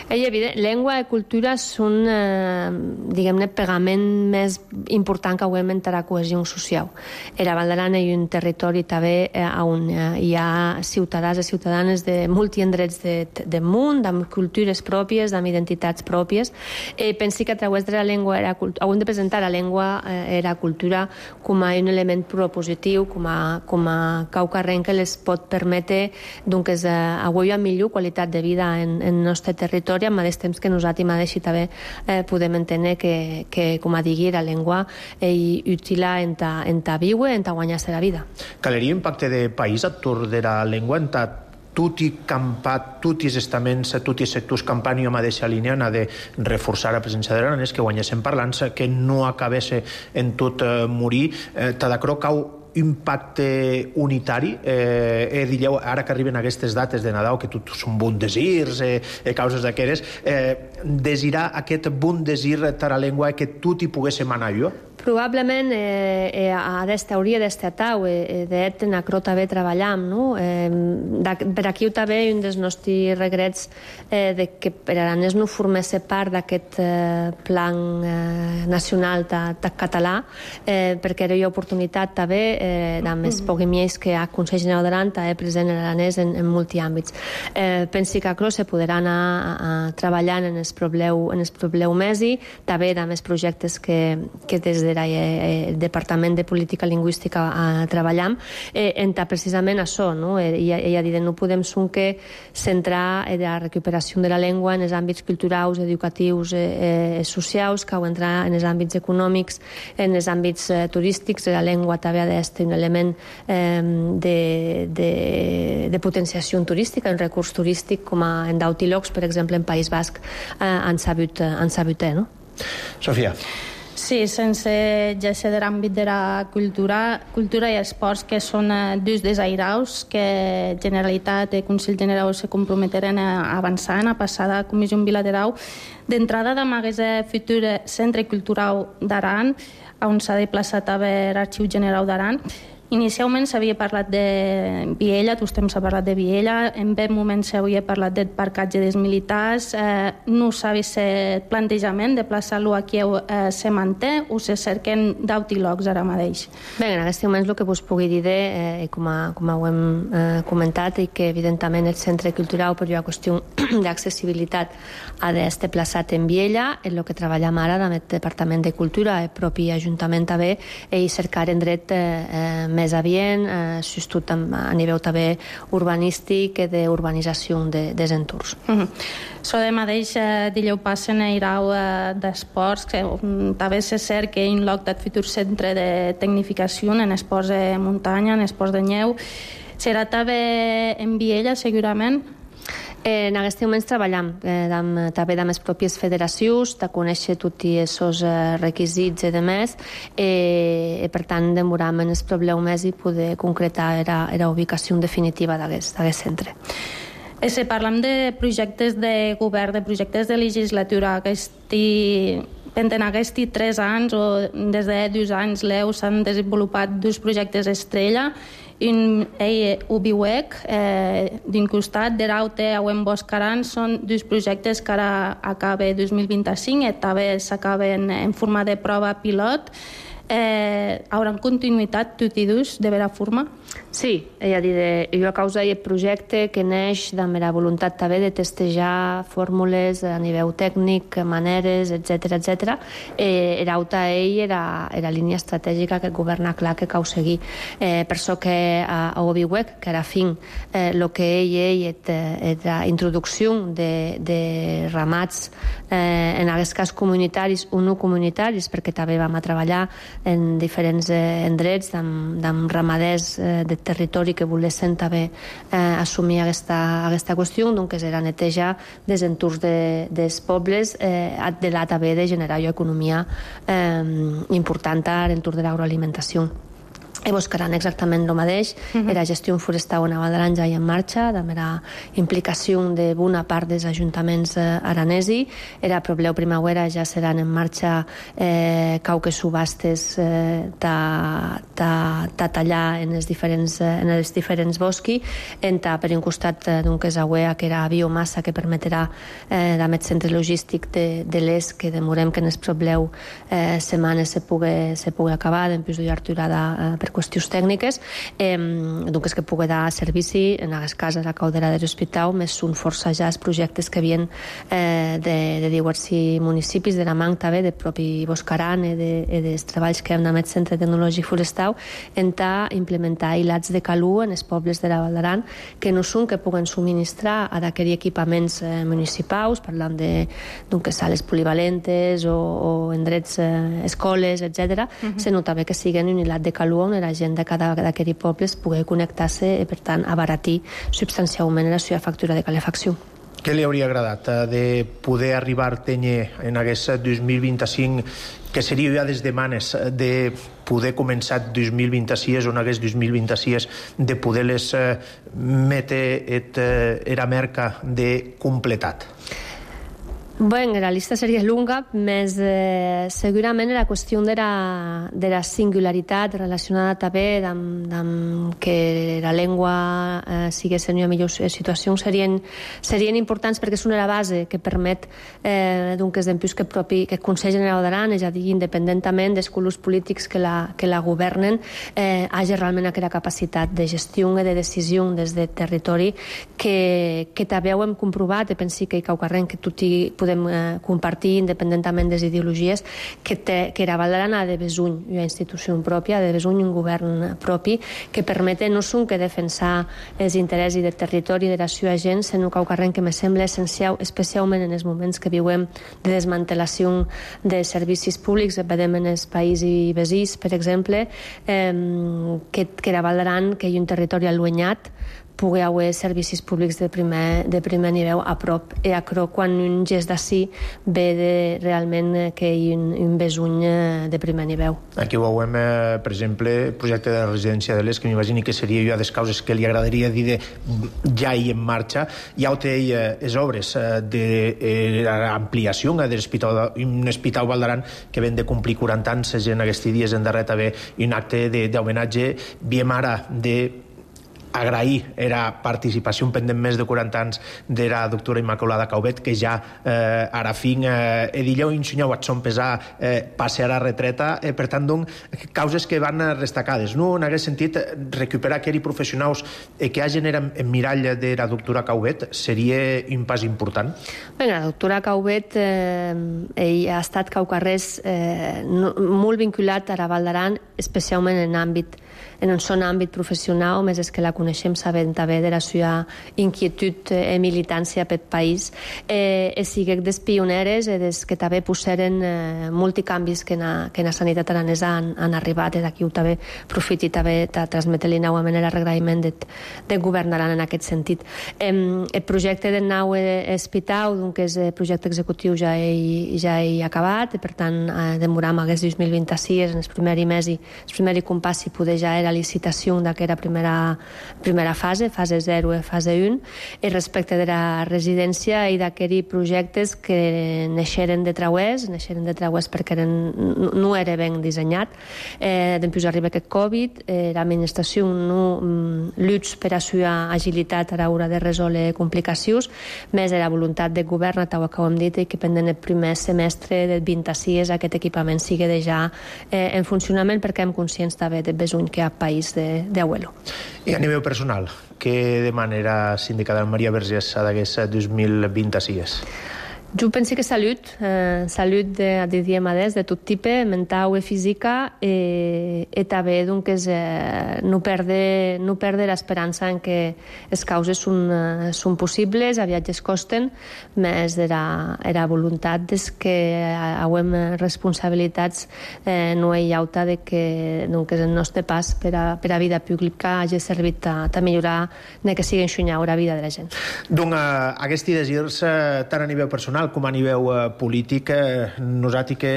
És evident, llengua i cultura són, eh, diguem-ne, pegament més important que avui entre la cohesió social. Era Vall d'Aran és un territori també eh, on eh, hi ha ciutadans i ciutadanes de multiendrets de, de món, amb cultures pròpies, amb identitats pròpies. Eh, pensi que a través de la llengua era, hem de presentar la llengua eh, era cultura com a un element propositiu, com a, com a caucarrent que les pot permetre doncs, avui amb millor qualitat de vida en, en el nostre territori, al mateix temps que nosaltres mateix també eh, podem entendre que, que, com a digui, la llengua és útil en ta, en ta viure, en ta guanyar-se la vida. Caleria impacte de país a tour de la llengua en ta tutti campat, tutti els estaments, tutti els sectors campant i a mateixa línia ha de reforçar la presència de l'aranès, que guanyessin parlants, que no acabés en tot eh, morir. Eh, Tadacro cau impacte unitari, eh, eh, digueu, ara que arriben aquestes dates de Nadal, que tot són bon desirs, eh, eh, causes d'aqueres, eh, desirar aquest bon desir per a la llengua que tot hi poguéssim anar jo? Probablement eh, eh, aquesta hauria d'estar tau, eh, d'et en acro també treballam, no? Eh, per aquí també un dels nostres regrets eh, de que per aranès no formés part d'aquest eh, plan eh, nacional de, de català, eh, perquè era una oportunitat també eh, de més poguemiers que a Consell General d'Aran també present en aranès en, en multiàmbits. Eh, pensi que acro se podrà anar a, a treballant en el probleu, en el probleu mesi, també de més projectes que, que des de el Departament de Política Lingüística a treballar eh, entre precisament això, no? Ella, ella dit, no podem sonque centrar eh, la recuperació de la llengua en els àmbits culturals, educatius, eh, eh, socials, que ho entrar en els àmbits econòmics, en els àmbits eh, turístics. La llengua també ha d'estar un element eh, de, de, de potenciació turística, un recurs turístic, com a, en d'Autilocs, per exemple, en País Basc, eh, han sabut, eh, han sabut eh, no? Sofia. Sí, sense ja ser de l'àmbit de la cultura, cultura i esports, que són eh, dos desairaus que Generalitat i Consell General se comprometeren a avançar, a passar de comissió bilateral. D'entrada, demà hagués futur Centre Cultural d'Aran, on s'ha desplaçat a veure l'Arxiu General d'Aran. Inicialment s'havia parlat de Viella, tot temps s'ha parlat de Viella, en aquest moment s'havia parlat del parcatge dels militars, eh, no s'ha vist el plantejament de plaçar-lo aquí eh, se manté o se cerquen d'Autilocs ara mateix? Bé, en aquests moments el que vos pugui dir, eh, com, a, com ho hem eh, comentat, i que evidentment el centre cultural per una qüestió d'accessibilitat ha d'estar plaçat en Viella, en el que treballem ara amb el Departament de Cultura, el propi Ajuntament també, i cercar en dret eh, més adient, eh, sostut a nivell també urbanístic i d'urbanització de, des entorns. Mm-hmm. So de mateix eh, dileu passen a irau eh, d'esports, que um, també és cert que in loc del futur centre de tecnificació en esports de muntanya, en esports de neu, serà també en Viella, segurament? Eh, en aquests moments treballam eh, amb, també amb les pròpies federacions, de conèixer tots aquests eh, requisits i demés, eh, i per tant demoram en els problemes i poder concretar la, la ubicació definitiva d'aquest centre. Eh, si parlem de projectes de govern, de projectes de legislatura, aquesti, en aquests tres anys o des de dos anys l'E U s'han desenvolupat dos projectes estrella. Un ei Ubiwec, eh, d'un costat, de Raute a Uen Boscaran, són dos projectes que ara acaba dos mil vint-i-cinc i també s'acaben en forma de prova pilot. Eh, hauran continuïtat tots i dos de vera forma? Sí, és a dir, jo a causa d'aquest projecte que neix amb la voluntat també de testejar fórmules a nivell tècnic, maneres, etcètera, etcètera. Eh, era auta ell era la línia estratègica que el govern ha clar que cal seguir. Eh, per això que a, a Obiwec, que era fin, eh, el que ell ell és la introducció de, de ramats eh, en aquest cas comunitaris o no comunitaris, perquè també vam a treballar en diferents eh, endrets amb, amb ramaders eh, de territori que volessin també eh, assumir aquesta, aquesta qüestió, doncs era netejar des entorns de, dels pobles, eh, de la també de generar economia eh, important a l'entorn de l'agroalimentació. I Boscaran exactament el mateix, uh-huh. Era gestió forestal a Vall ja en marxa, també era implicació de bona part dels ajuntaments eh, aranesi, era probleu primavera, ja seran en marxa eh, cauque subhastes eh, ta, ta, ta tallar en els diferents, eh, en els diferents bosqui, enta per un costat eh, d'un que és agüea, que era biomassa que permetrà eh, amb el centre logístic de, de l'est, que demorem que en el probleu eh, setmanes se pugui, se pugui acabar, d'empús de aturada eh, per qüestions tècniques, eh, doncs que pugui dar servici, en aquest cas a la Caldera de l'Hospital, més són força ja els projectes que havien eh, de, de diversos municipis, de la Manc també, de propi Boscaran i de, de, dels treballs que hem amb el Centre Tecnològic Forestal, en ta implementar hilats de calú en els pobles de la Val d'Aran, que no són que puguen subministrar a d'aquells equipaments eh, municipals, parlant de doncs, sales polivalentes o, o endrets, eh, escoles, etcètera, uh-huh. Sinó també que siguin un hilat de calú on la gent de cada d'aquells pobles pugui connectar-se i, per tant, abaratir substancialment la seva factura de calefacció. Què li hauria agradat de poder arribar a tenir en aquest dos mil vint-i-cinc, que seria ja des de manes de poder començar dos mil vint-i-sis o en aquest dos mil vint-i-sis de poder-les eh, metre et, eh, era merca de completat? Bé, la llista seria lunga, més eh, segurament la qüestió de la, de la singularitat relacionada també amb, amb que la llengua eh, sigui en una millor situació serien, serien importants, perquè és una base que permet eh, doncs, que, propi, que el Consell General d'Aran, és a dir, independentment dels colors polítics que la, que la governen, eh, hagi realment aquella capacitat de gestió i de decisió des del territori que, que també ho hem comprovat, i pensi que hi cau carrer que tot hi podem eh, compartir independentament de les ideologies, que, té, que la Val d'Aran ha de besuny una institució pròpia, ha de besuny un govern propi que permete no són que defensar els interessos del territori de la seva gent, sinó que carrer que me sembla essencial, especialment en els moments que viuem de desmantelació de servicis públics, vedem en els països veïns, per exemple, eh, que, que la Val d'Aran, que hi ha un territori allunyat, pugui haver servicis públics de primer, de primer nivell a prop, i a cro quan un gest d'ací ve de realment que hi ha un, un besuny de primer nivell. Aquí ho veiem, eh, per exemple, el projecte de la residència de l'Est, que m'imagini que seria una de les causes que li agradaria dir de ja hi en marxa. Ja ho té eh, les obres eh, d'ampliació de, eh, d'un hospital Val d'Aran que ven de complir quaranta anys, en aquests dies en darrer també un acte d'homenatge, viem ara de agrair era participació pendent més de quaranta anys de la doctora Immaculada Caubet, que ja eh, ara fin eh, edilleu insunyau at son pesar eh, passe a la retreta, eh, per tant, doncs, causes que van destacades, no? En aquest sentit, recuperar aquells professionals eh, que hagin en mirall de la doctora Caubet seria un pas important? Bé, la doctora Caubet eh, ell ha estat caucarrés eh, no, molt vinculat a la Val d'Aran, especialment en àmbit en un son àmbit professional, més és que la coneixem sabent també de la seva inquietud i militància per país. Eh, e siguec des pioneres e des que també posseren eh, multicanvis que na, que na sanitat aranesa han, han arribat, i d'aquí ho també profiti també de transmetre-li novament l'agraïment de, de govern aran en aquest sentit. Eh, el projecte del nou hospital, que és el projecte executiu, ja he, ja he acabat, i per tant eh, demoram aquest dos mil vint-i-sis en el primer mes i el primer compàs si poder ja la licitació d'aquesta primera, primera fase, fase zero i fase un, i respecte de la residència i d'aquests projectes que neixeren de trauers, neixeren de trauers perquè eren, no era ben dissenyat. Eh, Després arriba aquest Covid, eh, l'administració no lluits per a la agilitat a l'hora de resoldre complicacions, més de la voluntat del govern, tal com hem dit, i que pendent el primer semestre del vint-i-sis aquest equipament sigui ja eh, en funcionament, perquè hem conscients també del besony que hi ha país d'abuelo. I a nivell personal, què demana la sindicada Maria Vergés a d'aquest dos mil vint-i-sis? Jo penso que salut, eh, salut de, de diemades, de tot tipus, mental i física, eh, i també doncs, eh, no perdre, no perdre l'esperança en que les causes són, eh, són possibles, aviat es costen, més de la, de la voluntat des que hauem responsabilitats eh, no hi ha auta de que doncs, el nostre pas per a, per a vida pública hagi servit a, a millorar de que sigui enxunyar la vida de la gent. Doncs eh, aquests desirs, eh, tant a nivell personal com a nivell eh, polític, eh, nosaltres que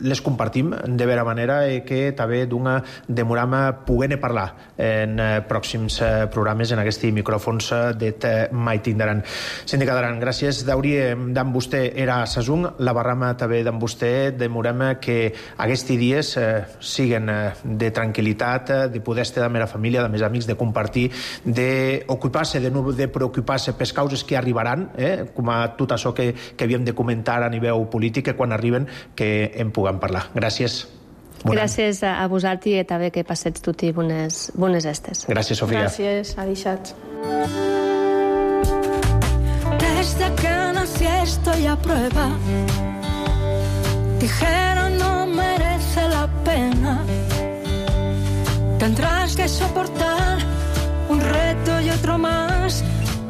les compartim de vera manera i que també d'una demoram poder-ne parlar en eh, pròxims eh, programes en aquests micròfons eh, de mai tindran. Síndica d'Aran, gràcies d'hauria d'en vostè era a Sasung, la barrama també d'en vostè, demorem que aquests dies eh, siguen eh, de tranquil·litat, eh, de poder estar amb la família, amb els amics, de compartir, d'ocupar-se, de no de preocupar-se per causes que arribaran, eh, com a tot això que, que havíem de comentar a nivell polític, que quan arriben que en puguem parlar. Gràcies. Bon Gràcies any. A vosaltres i també que passets tots bones, bones estes. Gràcies, Sofia. Gràcies, adixats. Desde que nací estoy a prueba. Dijeron no merece la pena. Tendrás que soportar un reto y otro más,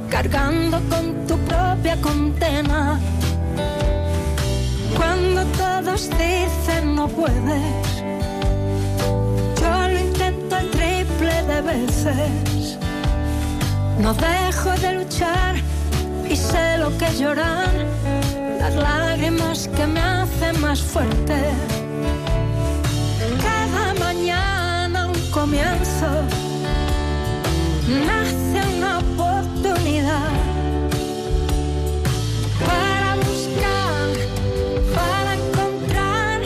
cargando con tu propia condena. Cuando todos dicen no puedes, yo lo intento el triple de veces. No dejo de luchar y sé lo que lloran, las lágrimas que me hacen más fuerte. Cada mañana un comienzo, nace una oportunidad para buscar, para encontrar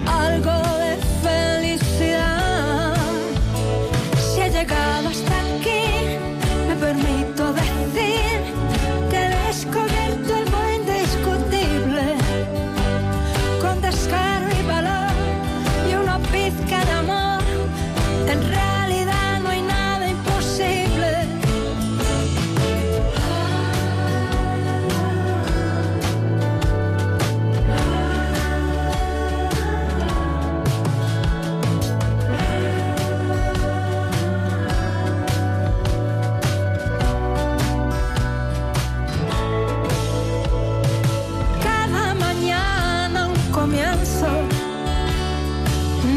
algo de felicidad. Si he llegado hasta aquí, me permito decir que he descubierto algo indiscutible, con descaro y valor y una pizca de amor. En realidad no hay nada imposible. Cada mañana un comienzo,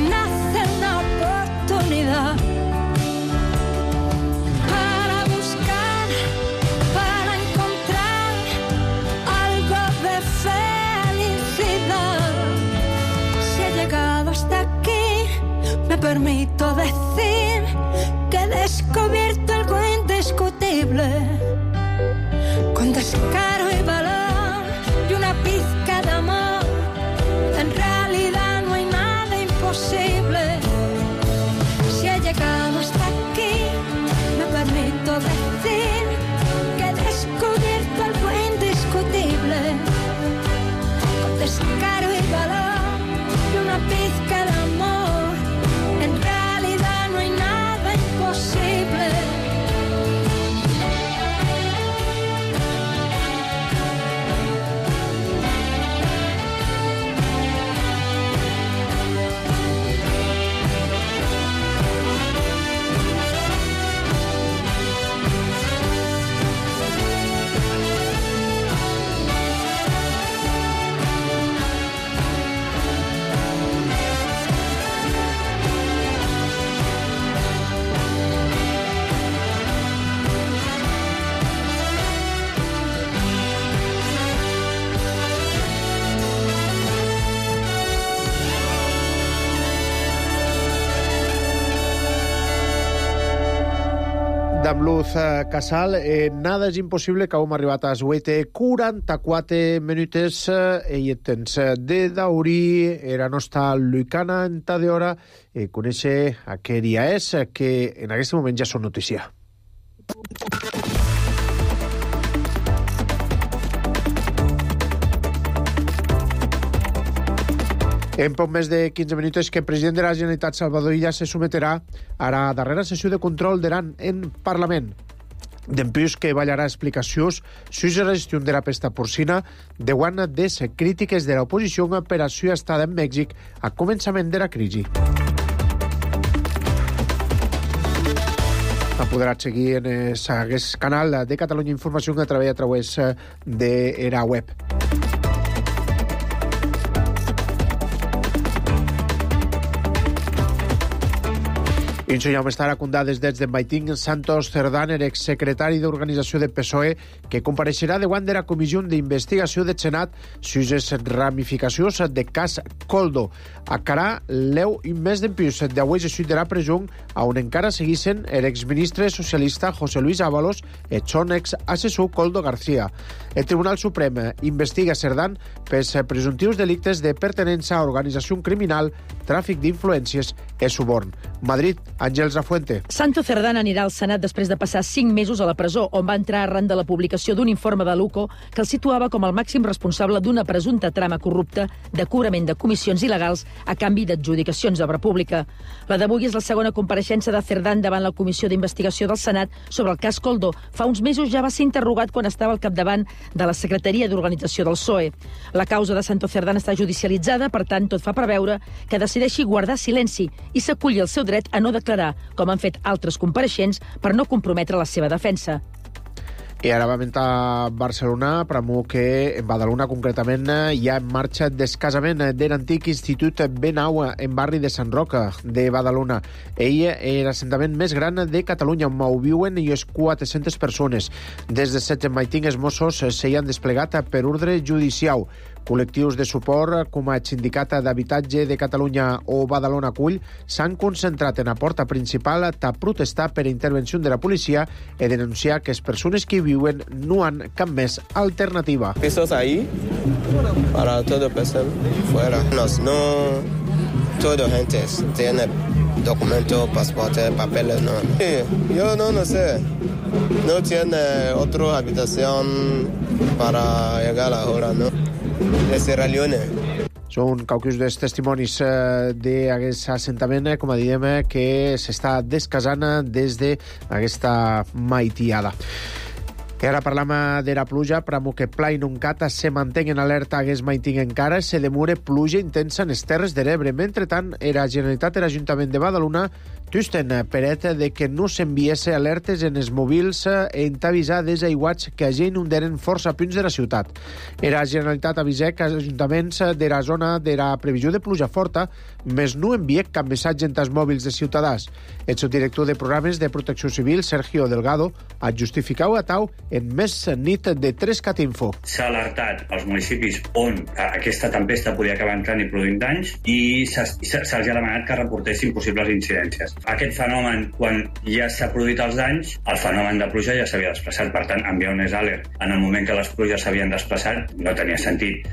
nace una oportunidad para buscar, para encontrar algo de felicidad. Si he llegado hasta aquí, me permito decir que he descubierto algo indiscutible, con descaro y valor y una pizca de amor. En realidad no hay nada imposible. Si he llegado hasta aquí, me permito D'amb Luz Casal, eh, nada és impossible, que hem arribat a les vuit i quaranta-quatre minuts eh, i el temps de daurí era nostra Lucana en ta d'hora i eh, conèixer a què dia és, que en aquest moment ja són notícia. En poc més de quinze minuts que el president de la Generalitat, Salvador Illa, se someterà a la darrera sessió de control d'Iran en Parlament. Dempús que ballarà explicacions sobre la gestió de la pesta porcina davant de les crítiques de l'oposició per a la seva estada en Mèxic a començament de la crisi. Ha podrà seguir en aquest canal de Catalunya Informació que treballa a través de la web. I això ja m'estarà contar des de Maitín Santos Cerdán, exsecretari d'Organització de P S O E, que compareixerà davant de la Comissió d'Investigació del Senat sobre les ramificacions de cas Koldo. Acarà l'eu i més d'empús d'avui de de la presó, on encara seguissin l'exministre socialista José Luis Ábalos i son exassessor Koldo García. El Tribunal Suprem investiga Cerdán pels presumptius delictes de pertenença a organització criminal, tràfic d'influències i suborn. Madrid, Àngels Afuente. Santos Cerdán anirà al Senat després de passar cinc mesos a la presó, on va entrar arran de la publicació d'un informe de l'U C O que el situava com el màxim responsable d'una presumpta trama corrupta de cobrament de comissions il·legals a canvi d'adjudicacions d'obra pública. La d'avui és la segona compareixença de Cerdán davant la Comissió d'Investigació del Senat sobre el cas Koldo. Fa uns mesos ja va ser interrogat quan estava al capdavant de la Secretaria d'Organització del P S O E. La causa de Santos Cerdán està judicialitzada, per tant, tot fa preveure que decideixi guardar silenci i s'aculli el seu dret a no declarar, com han fet altres compareixents, per no comprometre la seva defensa. I ara vam a Barcelona, pramo que en Badalona concretament hi ha en marxa descasament de l'antic Institut Benau en barri de Sant Roca de Badalona. Ell és l'assentament més gran de Catalunya, on ho viuen i és quatre-centes persones. Des de setze Maitín, els Mossos s'hi han desplegat per ordre judicial. Col·lectius de suport, com a Sindicat d'Habitatge de Catalunya o Badalona Cull, s'han concentrat en la porta principal a protestar per intervenció de la policia i denunciar que les persones que viuen no han cap més alternativa. Pisos ahí para todo persona fuera. No, no toda gente tiene documento, pasaporte, papeles, no. Sí, yo no lo sé. No tiene otra habitación para llegar ahora, ¿no? De Sierra Leone. Són qualcus dels testimonis eh, d'aquest assentament, com a diem, que s'està descasant des d'aquesta maitiada. I ara parlam de la pluja, pramo que Pla i Nuncata se mantenen en alerta hagués Maitín encara, se demora pluja intensa en les Terres de l'Ebre. Mentretant, la Generalitat i l'Ajuntament de Badalona tusten peret de que no s'enviese alertes en els mòbils en avisar des aiguats que ja inundaren força punts de la ciutat. La Generalitat avisa que els ajuntaments de la zona de la previsió de pluja forta més no envia cap missatge en els mòbils de ciutadans. El subdirector de programes de protecció civil, Sergio Delgado, ha justificat a tau en més nit de tres cat info. S'ha alertat als municipis on aquesta tempesta podia acabar entrant i produint danys i se'ls ha demanat que reportessin possibles incidències. Aquest fenomen, quan ja s'ha produït els danys, el fenomen de pluja ja s'havia desplaçat. Per tant, enviar un alert en el moment que les pluges s'havien desplaçat no tenia sentit.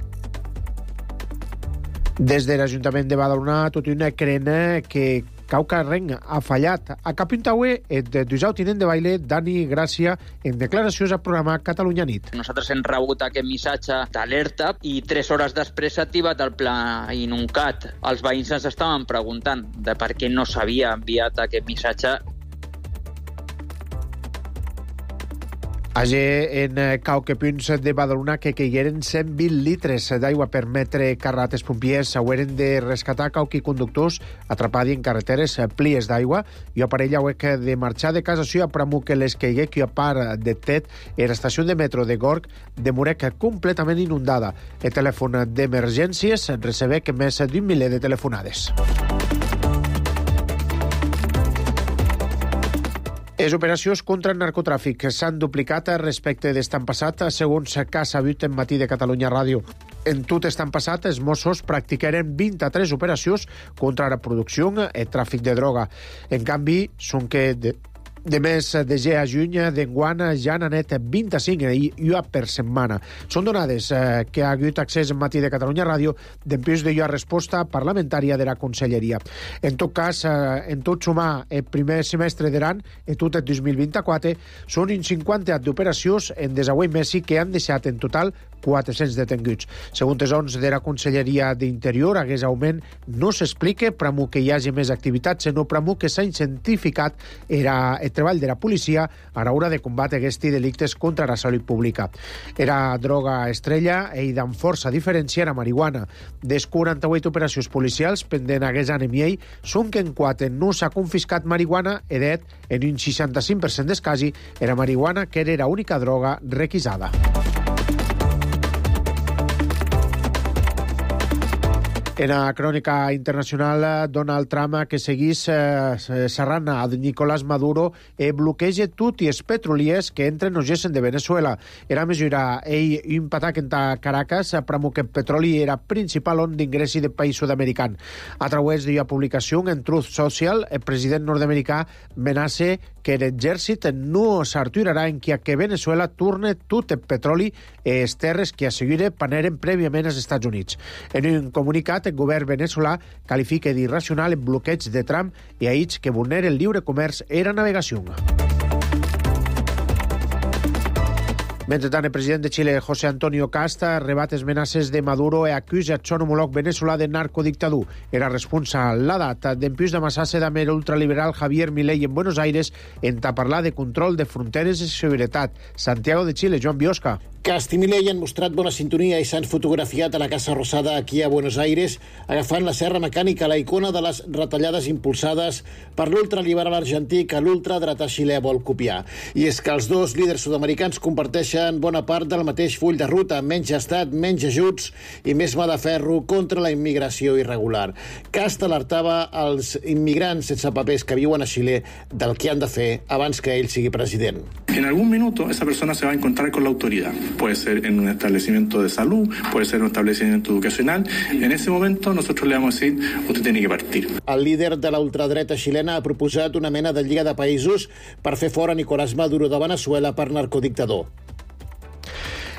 Des de l'Ajuntament de Badalona, tot una creen que Caucarrenc ha fallat. A Capintaue, el dusau tinent de baile, Dani Gràcia, en declaracions al programa Catalunya Nit. Nosaltres hem rebut aquest missatge d'alerta i tres hores després s'ha activat el pla Inuncat. Els veïns ens estaven preguntant de per què no s'havia enviat aquest missatge. Allà en Cauquepunts de Badalona que caigueren cent vint litres d'aigua per metre carrat. Els pompiers haueren de rescatar cauqui conductors atrapats en carreteres plies d'aigua i a parella hauek de marxar de casa seva pramo que les caigué que a part de Tet en l'estació de metro de Gorg de Morec completament inundada. El telèfon d'emergències recebé més d'un miler de telefonades. Les operacions contra el narcotràfic s'han duplicat respecte d'estan passat, segons que s'ha sabut en Matí de Catalunya Ràdio. En tot estan passat, els Mossos practicaren vint-i-tres operacions contra la producció i tràfic de droga. En canvi, són que de De mes de ge a juny d'enguant ja n'ha net vint-i-cinc i ua per setmana. Són donades eh, que ha hagut accés en Matí de Catalunya Ràdio dempús de ua resposta parlamentària de la Conselleria. En tot cas, eh, en tot sumar el primer semestre d'an, en tot el dos mil vint-i-quatre, són un cinquanta d'operacions en desauent messi que han deixat en total quatre-cents detenguts. Segons els ons de la Conselleria d'Interior, aquest augment no s'explica pramo que hi hagi més activitat, sinó pramo que s'ha incentificat era el treball de la policia a l'hora de combatre aquests delictes contra la salut pública. Era droga estrella i amb força diferència era marihuana. Des quaranta-vuit operacions policials pendent aquest any i ell, són que en quatre no s'ha confiscat marihuana, edet en un seixanta-cinc per cent dels casos era marihuana que era l'única droga requisada. En la crònica internacional, Donald Trump, que seguís eh, serrant a Nicolás Maduro, e bloqueja tot i els petroliers que entren o gessen de Venezuela. Era mesura ell un patac en Caracas, pramo que el petroli era principal on d'ingressi del país sud-american. A través d'una publicació en Truth Social, el president nord-americà amenaça que l'exèrcit no s'aturarà en que Venezuela torne tot el petroli i les terres que assegura paneren prèviament als Estats Units. En un comunicat, el govern venezolà qualifica d'irracional el bloqueig de Trump i ahits que vulnera el lliure comerç i la navegació. Mentrestant, el president de Xile, José Antonio Casta, rebat les amenaces de Maduro i acusa el son homòleg venezolà de narcodictador. Era responsable la data d'empús d'amassar-se amb l'ultraliberal Javier Milei en Buenos Aires en parlar de control de fronteres i seguretat. Santiago de Chile, Joan Biosca. Cast i Milei han mostrat bona sintonia i s'han fotografiat a la Casa Rosada aquí a Buenos Aires agafant la serra mecànica, la icona de les retallades impulsades per l'ultraliberal argentí que l'ultradretà xilè vol copiar. I és que els dos líders sud-americans comparteixen bona part del mateix full de ruta, menys estat, menys ajuts i més mà de ferro contra la immigració irregular. Cast alertava als immigrants sense papers que viuen a Xile del que han de fer abans que ell sigui president. En algún minuto esa persona se va a encontrar con la autoridad. Puede ser en un establecimiento de salud, puede ser en un establecimiento educacional. En ese momento nosotros le vamos a decir, usted tiene que partir. El líder de la ultradreta xilena ha proposat una mena de lliga de països per fer fora Nicolás Maduro de Venezuela per narcodictador.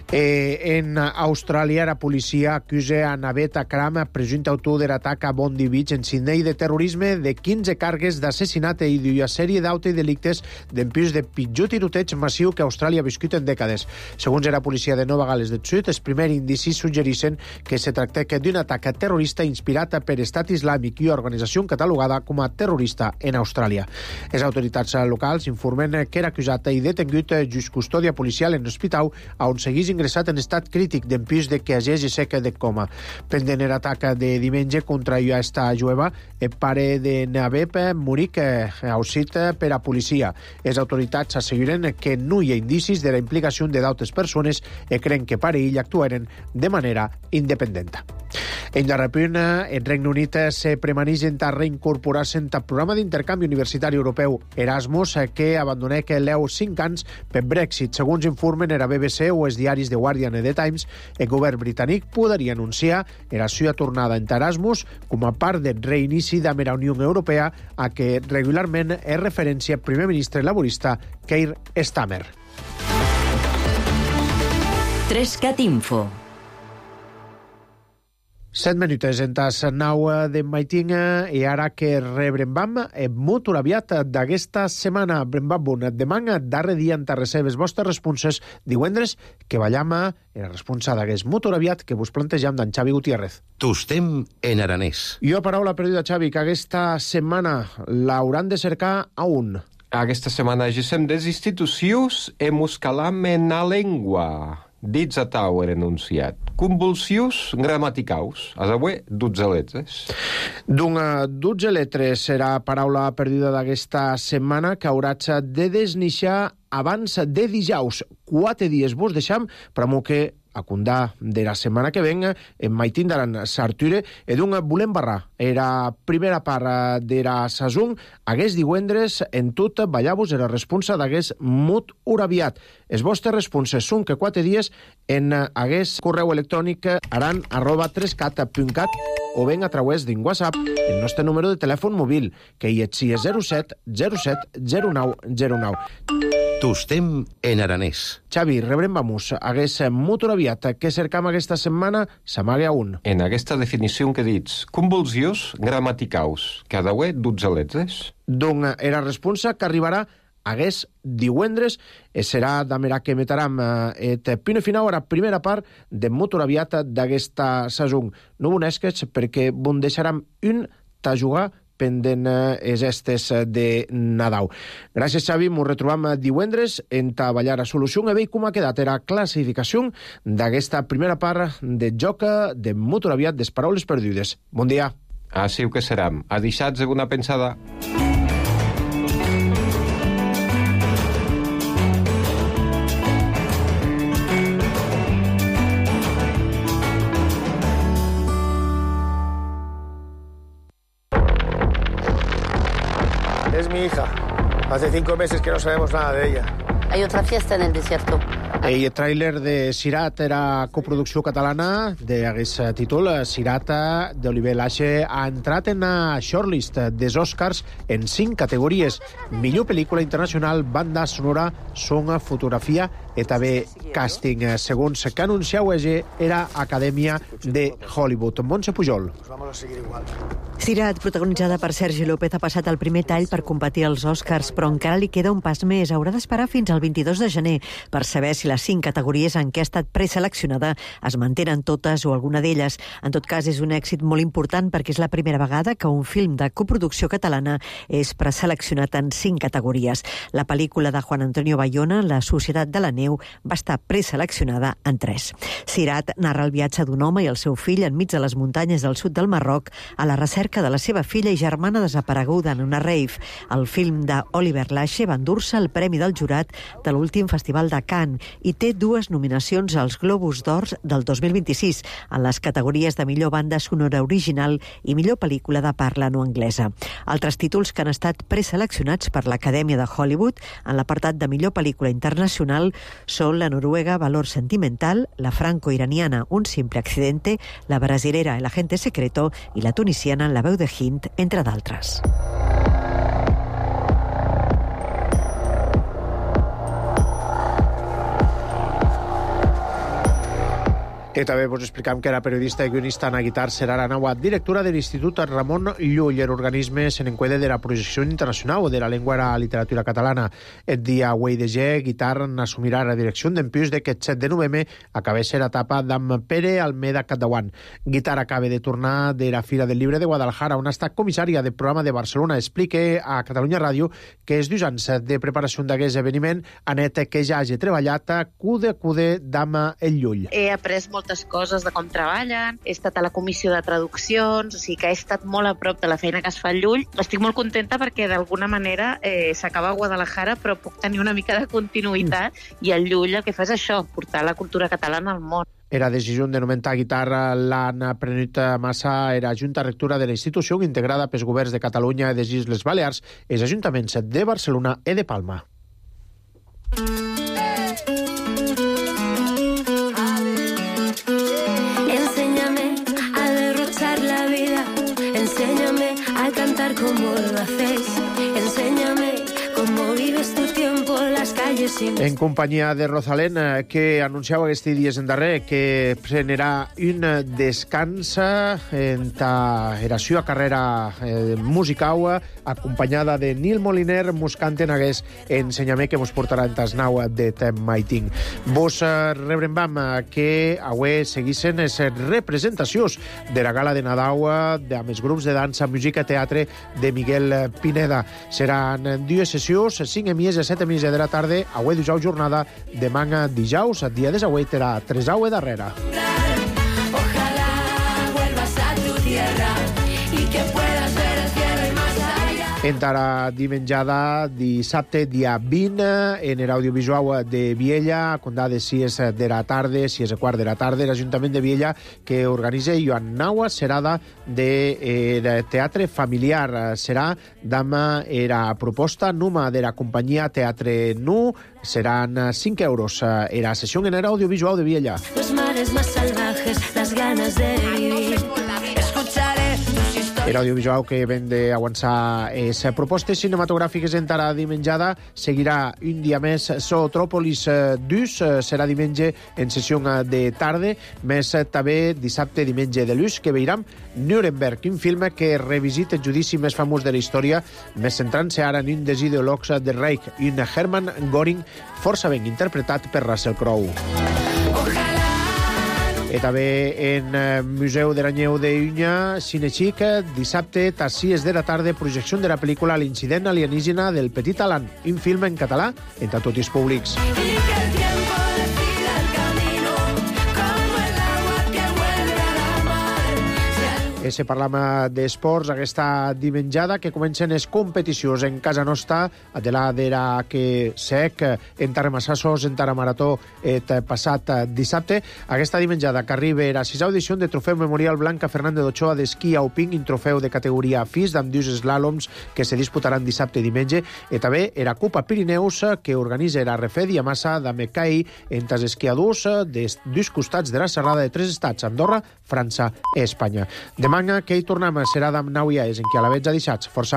Eh, en Austràlia, la policia acusa a Naved Akram, presumpte autor de l'atac a Bondi Beach en Sydney, de terrorisme, de quinze càrregues d'assassinat i d'una sèrie d'autres delictes d'empús de pitjor tiroteig massiu que Austràlia ha viscut en dècades. Segons la policia de Nova Gales del Sud, els primers indicis suggereixen que se tracta d'un atac terrorista inspirat per Estat Islàmic i organització catalogada com a terrorista en Austràlia. Les autoritats locals informen que era acusat i detengut just custòdia policial en l'hospital on seguís ingressat en estat crític d'empús de que hagés seca de coma. Pendent l'atac de diumenge contra esta jueva, el pare de Naveb Murik ausit per a policia. Les autoritats asseguren que no hi ha indicis de la implicació de d'altres persones i creen que pare i ell actuaren de manera independent. En darrer punt, el Regne Unit se premaneix a reincorporar-se al programa d'intercanvi universitari europeu Erasmus, que abandonà l'E U cinc anys per Brexit. Segons informen la B B C o els diaris The Guardian i The Times, el govern britànic podria anunciar la seva tornada en Erasmus com a part del reinici de la Unió Europea a què regularment és referència el primer ministre laborista Keir Starmer. Trescat Info. Set minuts en tas nau de Maitinga i ara que rebrembam el molt aviat d'aquesta setmana. Brembam demà, darrer dia en les seves vostres responses divendres que ballam la responsa d'aquest molt aviat que vos plantejam d'en Xavi Gutiérrez. Tostem en aranès. Jo paraula perduda, Xavi, que aquesta setmana l'hauran de cercar a un. Aquesta setmana gesem des institucions e muscalam en la llengua. Dits a tau er enunciat. Convulsius gramaticaus. Has avui dotze letres. D'una dotze letres serà paraula perduda d'aquesta setmana que hauràs de desnixar abans de dijous. Quatre dies vos deixam, però que a condà de la setmana que ven, en maitin daran s'arture, e d'un volem barrar. Era primera part de la sason, hagués divendres, en tot, ballavos era responsa d'hagués mut uraviat. Els vostres responses són que quatre dies en hagués correu electrònic aran arroba trescat punt cat o ben a través d'un WhatsApp el nostre número de telèfon mòbil, que hi és zero set zero set zero nou zero nou. Tostem en aranès. Xavi, rebrem vamos. Hagués motor aviat que cercam aquesta setmana s'amague a un. En aquesta definició que dits, convulsions gramaticaus, cada uè dotzelets? Don era responsa que arribarà hagués divendres, e serà d'amera que metaram et pino final a la primera part de motor aviat d'aquesta sason. No bonesques perquè bon deixaram un ta jugar pendent es estes de Nadal. Gràcies, Xavi. Ens retrobam divendres en ta ballar a solució e veig com ha quedat la classificació d'aquesta primera part de joc de motor aviat des paraules perdudes. Bon dia. Així que seram. A deixats de una pensada. Es mi hija. Hace cinco meses que no sabemos nada de ella. Hay otra fiesta en el desierto. El tràiler de Sirat era coproducció catalana d'aquest títol. Sirat d'Oliver Lache ha entrat en la shortlist dels Oscars en cinc categories. Millor pel·lícula internacional, banda sonora, son, fotografia i també càsting. Segons que anunciau era Acadèmia de Hollywood. Montse Pujol. Vamos a seguir igual. Sirat, protagonitzada per Sergi López, ha passat el primer tall per competir als Oscars, però encara li queda un pas més. Haurà d'esperar fins al vint-i-dos de gener per saber si les cinc categories en què ha estat preseleccionada es mantenen totes o alguna d'elles. En tot cas, és un èxit molt important perquè és la primera vegada que un film de coproducció catalana és preseleccionat en cinc categories. La pel·lícula de Juan Antonio Bayona, La societat de la neu, va estar preseleccionada en tres. Sirat narra el viatge d'un home i el seu fill enmig de les muntanyes del sud del Marroc a la recerca de la seva filla i germana desapareguda en una rave. El film d'Oliver Lache va endur-se el Premi del Jurat de l'últim Festival de Cannes i té dues nominacions als Globus d'Or del dos mil vint-i-sis en les categories de millor banda sonora original i millor pel·lícula de parla no anglesa. Altres títols que han estat preseleccionats per l'Acadèmia de Hollywood en l'apartat de millor pel·lícula internacional són la noruega Valor Sentimental, la franco-iraniana Un simple accidente, la brasilera El agente secreto i la tunisiana La veu de Hind, entre d'altres. I també vos explicam que era periodista i guionista Ana Guitar serà la nova directora de l'Institut Ramon Llull, l'organisme se n'encueda de la projecció internacional de la llengua i la literatura catalana. El dia avui de G, Guitar n'assumirà la direcció d'empius d'aquest set de novembre a cabeza l'etapa d'en Pere Almeda Catdauant. Guitar acaba de tornar de la Fira del Llibre de Guadalajara, on ha estat comissària del programa de Barcelona. Explica a Catalunya Ràdio que els dos anys de preparació d'aquest esdeveniment han net que ja hagi treballat cude a cude d'Am el Llull. He après molt moltes coses de com treballen, he estat a la comissió de traduccions, o sigui que he estat molt a prop de la feina que es fa al Llull. Estic molt contenta perquè d'alguna manera eh, s'acaba a Guadalajara, però puc tenir una mica de continuïtat mm. i el Llull el que fa és això, portar la cultura catalana al món. Era decisió de nomentar guitarra l'han prenut massa era Junta Rectora de la institució integrada pels governs de Catalunya i de les Illes Balears, els ajuntaments de Barcelona i de Palma. Enséñame a cantar como lo hacéis. Enséñame cómo vives tu tiempo en las calles sin... En companyia de Rosalén, que anunciava aquests dies en darrer que prenarà un descans en ta era seva carrera eh, musical, acompanyada de Nil Moliner, mos canten hagués ensenyament que mos portarà en tas nau de Tem Maiting. Vos eh, rebrem que avui seguissin les representacions de la gala de Nadal de, amb els grups de dansa, música i teatre de Miguel Pineda. Seran dues sessions, cinc emies i set emies de la tarda, avui dijous jornada, demà dijous, dia de avui terà tres aue darrere. Encara dimenjada dissabte, dia vint, en l'audiovisual de Viella, condà de sis de la tarda, sis i quart de la tarda, l'Ajuntament de Viella, que organitza Joan Naua, serada de eh, teatre familiar. Serà dama era proposta numa de la companyia Teatre Nu, seran cinc euros. Era sessió en l'audiovisual de Viella. Los mares más salvajes, las ganas de vivir. Escucharé tus historias. L'audiovisual que ven d'avançar les propostes cinematogràfiques encara dimenjada seguirà un dia més Zootrópolis dos, serà diumenge en sessió de tarda, més també dissabte, diumenge de l'ús, que veiram Nuremberg, un film que revisita el judici més famós de la història, més centrant-se ara en un dels ideòlegs del Reich, un Hermann Göring, força ben interpretat per Russell Crowe. I també en Museu de l'Anyeu de Unya, Cinexic, dissabte, a sis de la tarda, projecció de la pel·lícula L'incident alienígena del Petit Alan, un film en català entre tots els públics. I si parlam d'esports, aquesta dimenjada que comencen les competicions en casa nostra, de la de la que sec, en Tarramasassos, en Taramarató, et passat dissabte. Aquesta dimenjada que arriba a la sisena edició de Trofeu Memorial Blanca Fernández d'Ochoa d'esquí alpín, un trofeu de categoria F I S, amb dos slàloms que se disputaran dissabte i diumenge, i també la Copa Pirineus, que organitza la Refed i Amassa de Mecaí entre els esquiadors dels dos costats de la serrada de tres estats, Andorra, França i Espanya. Demà que hi tornem serà d'Amnau i Aes, en qui a la veig ha deixat força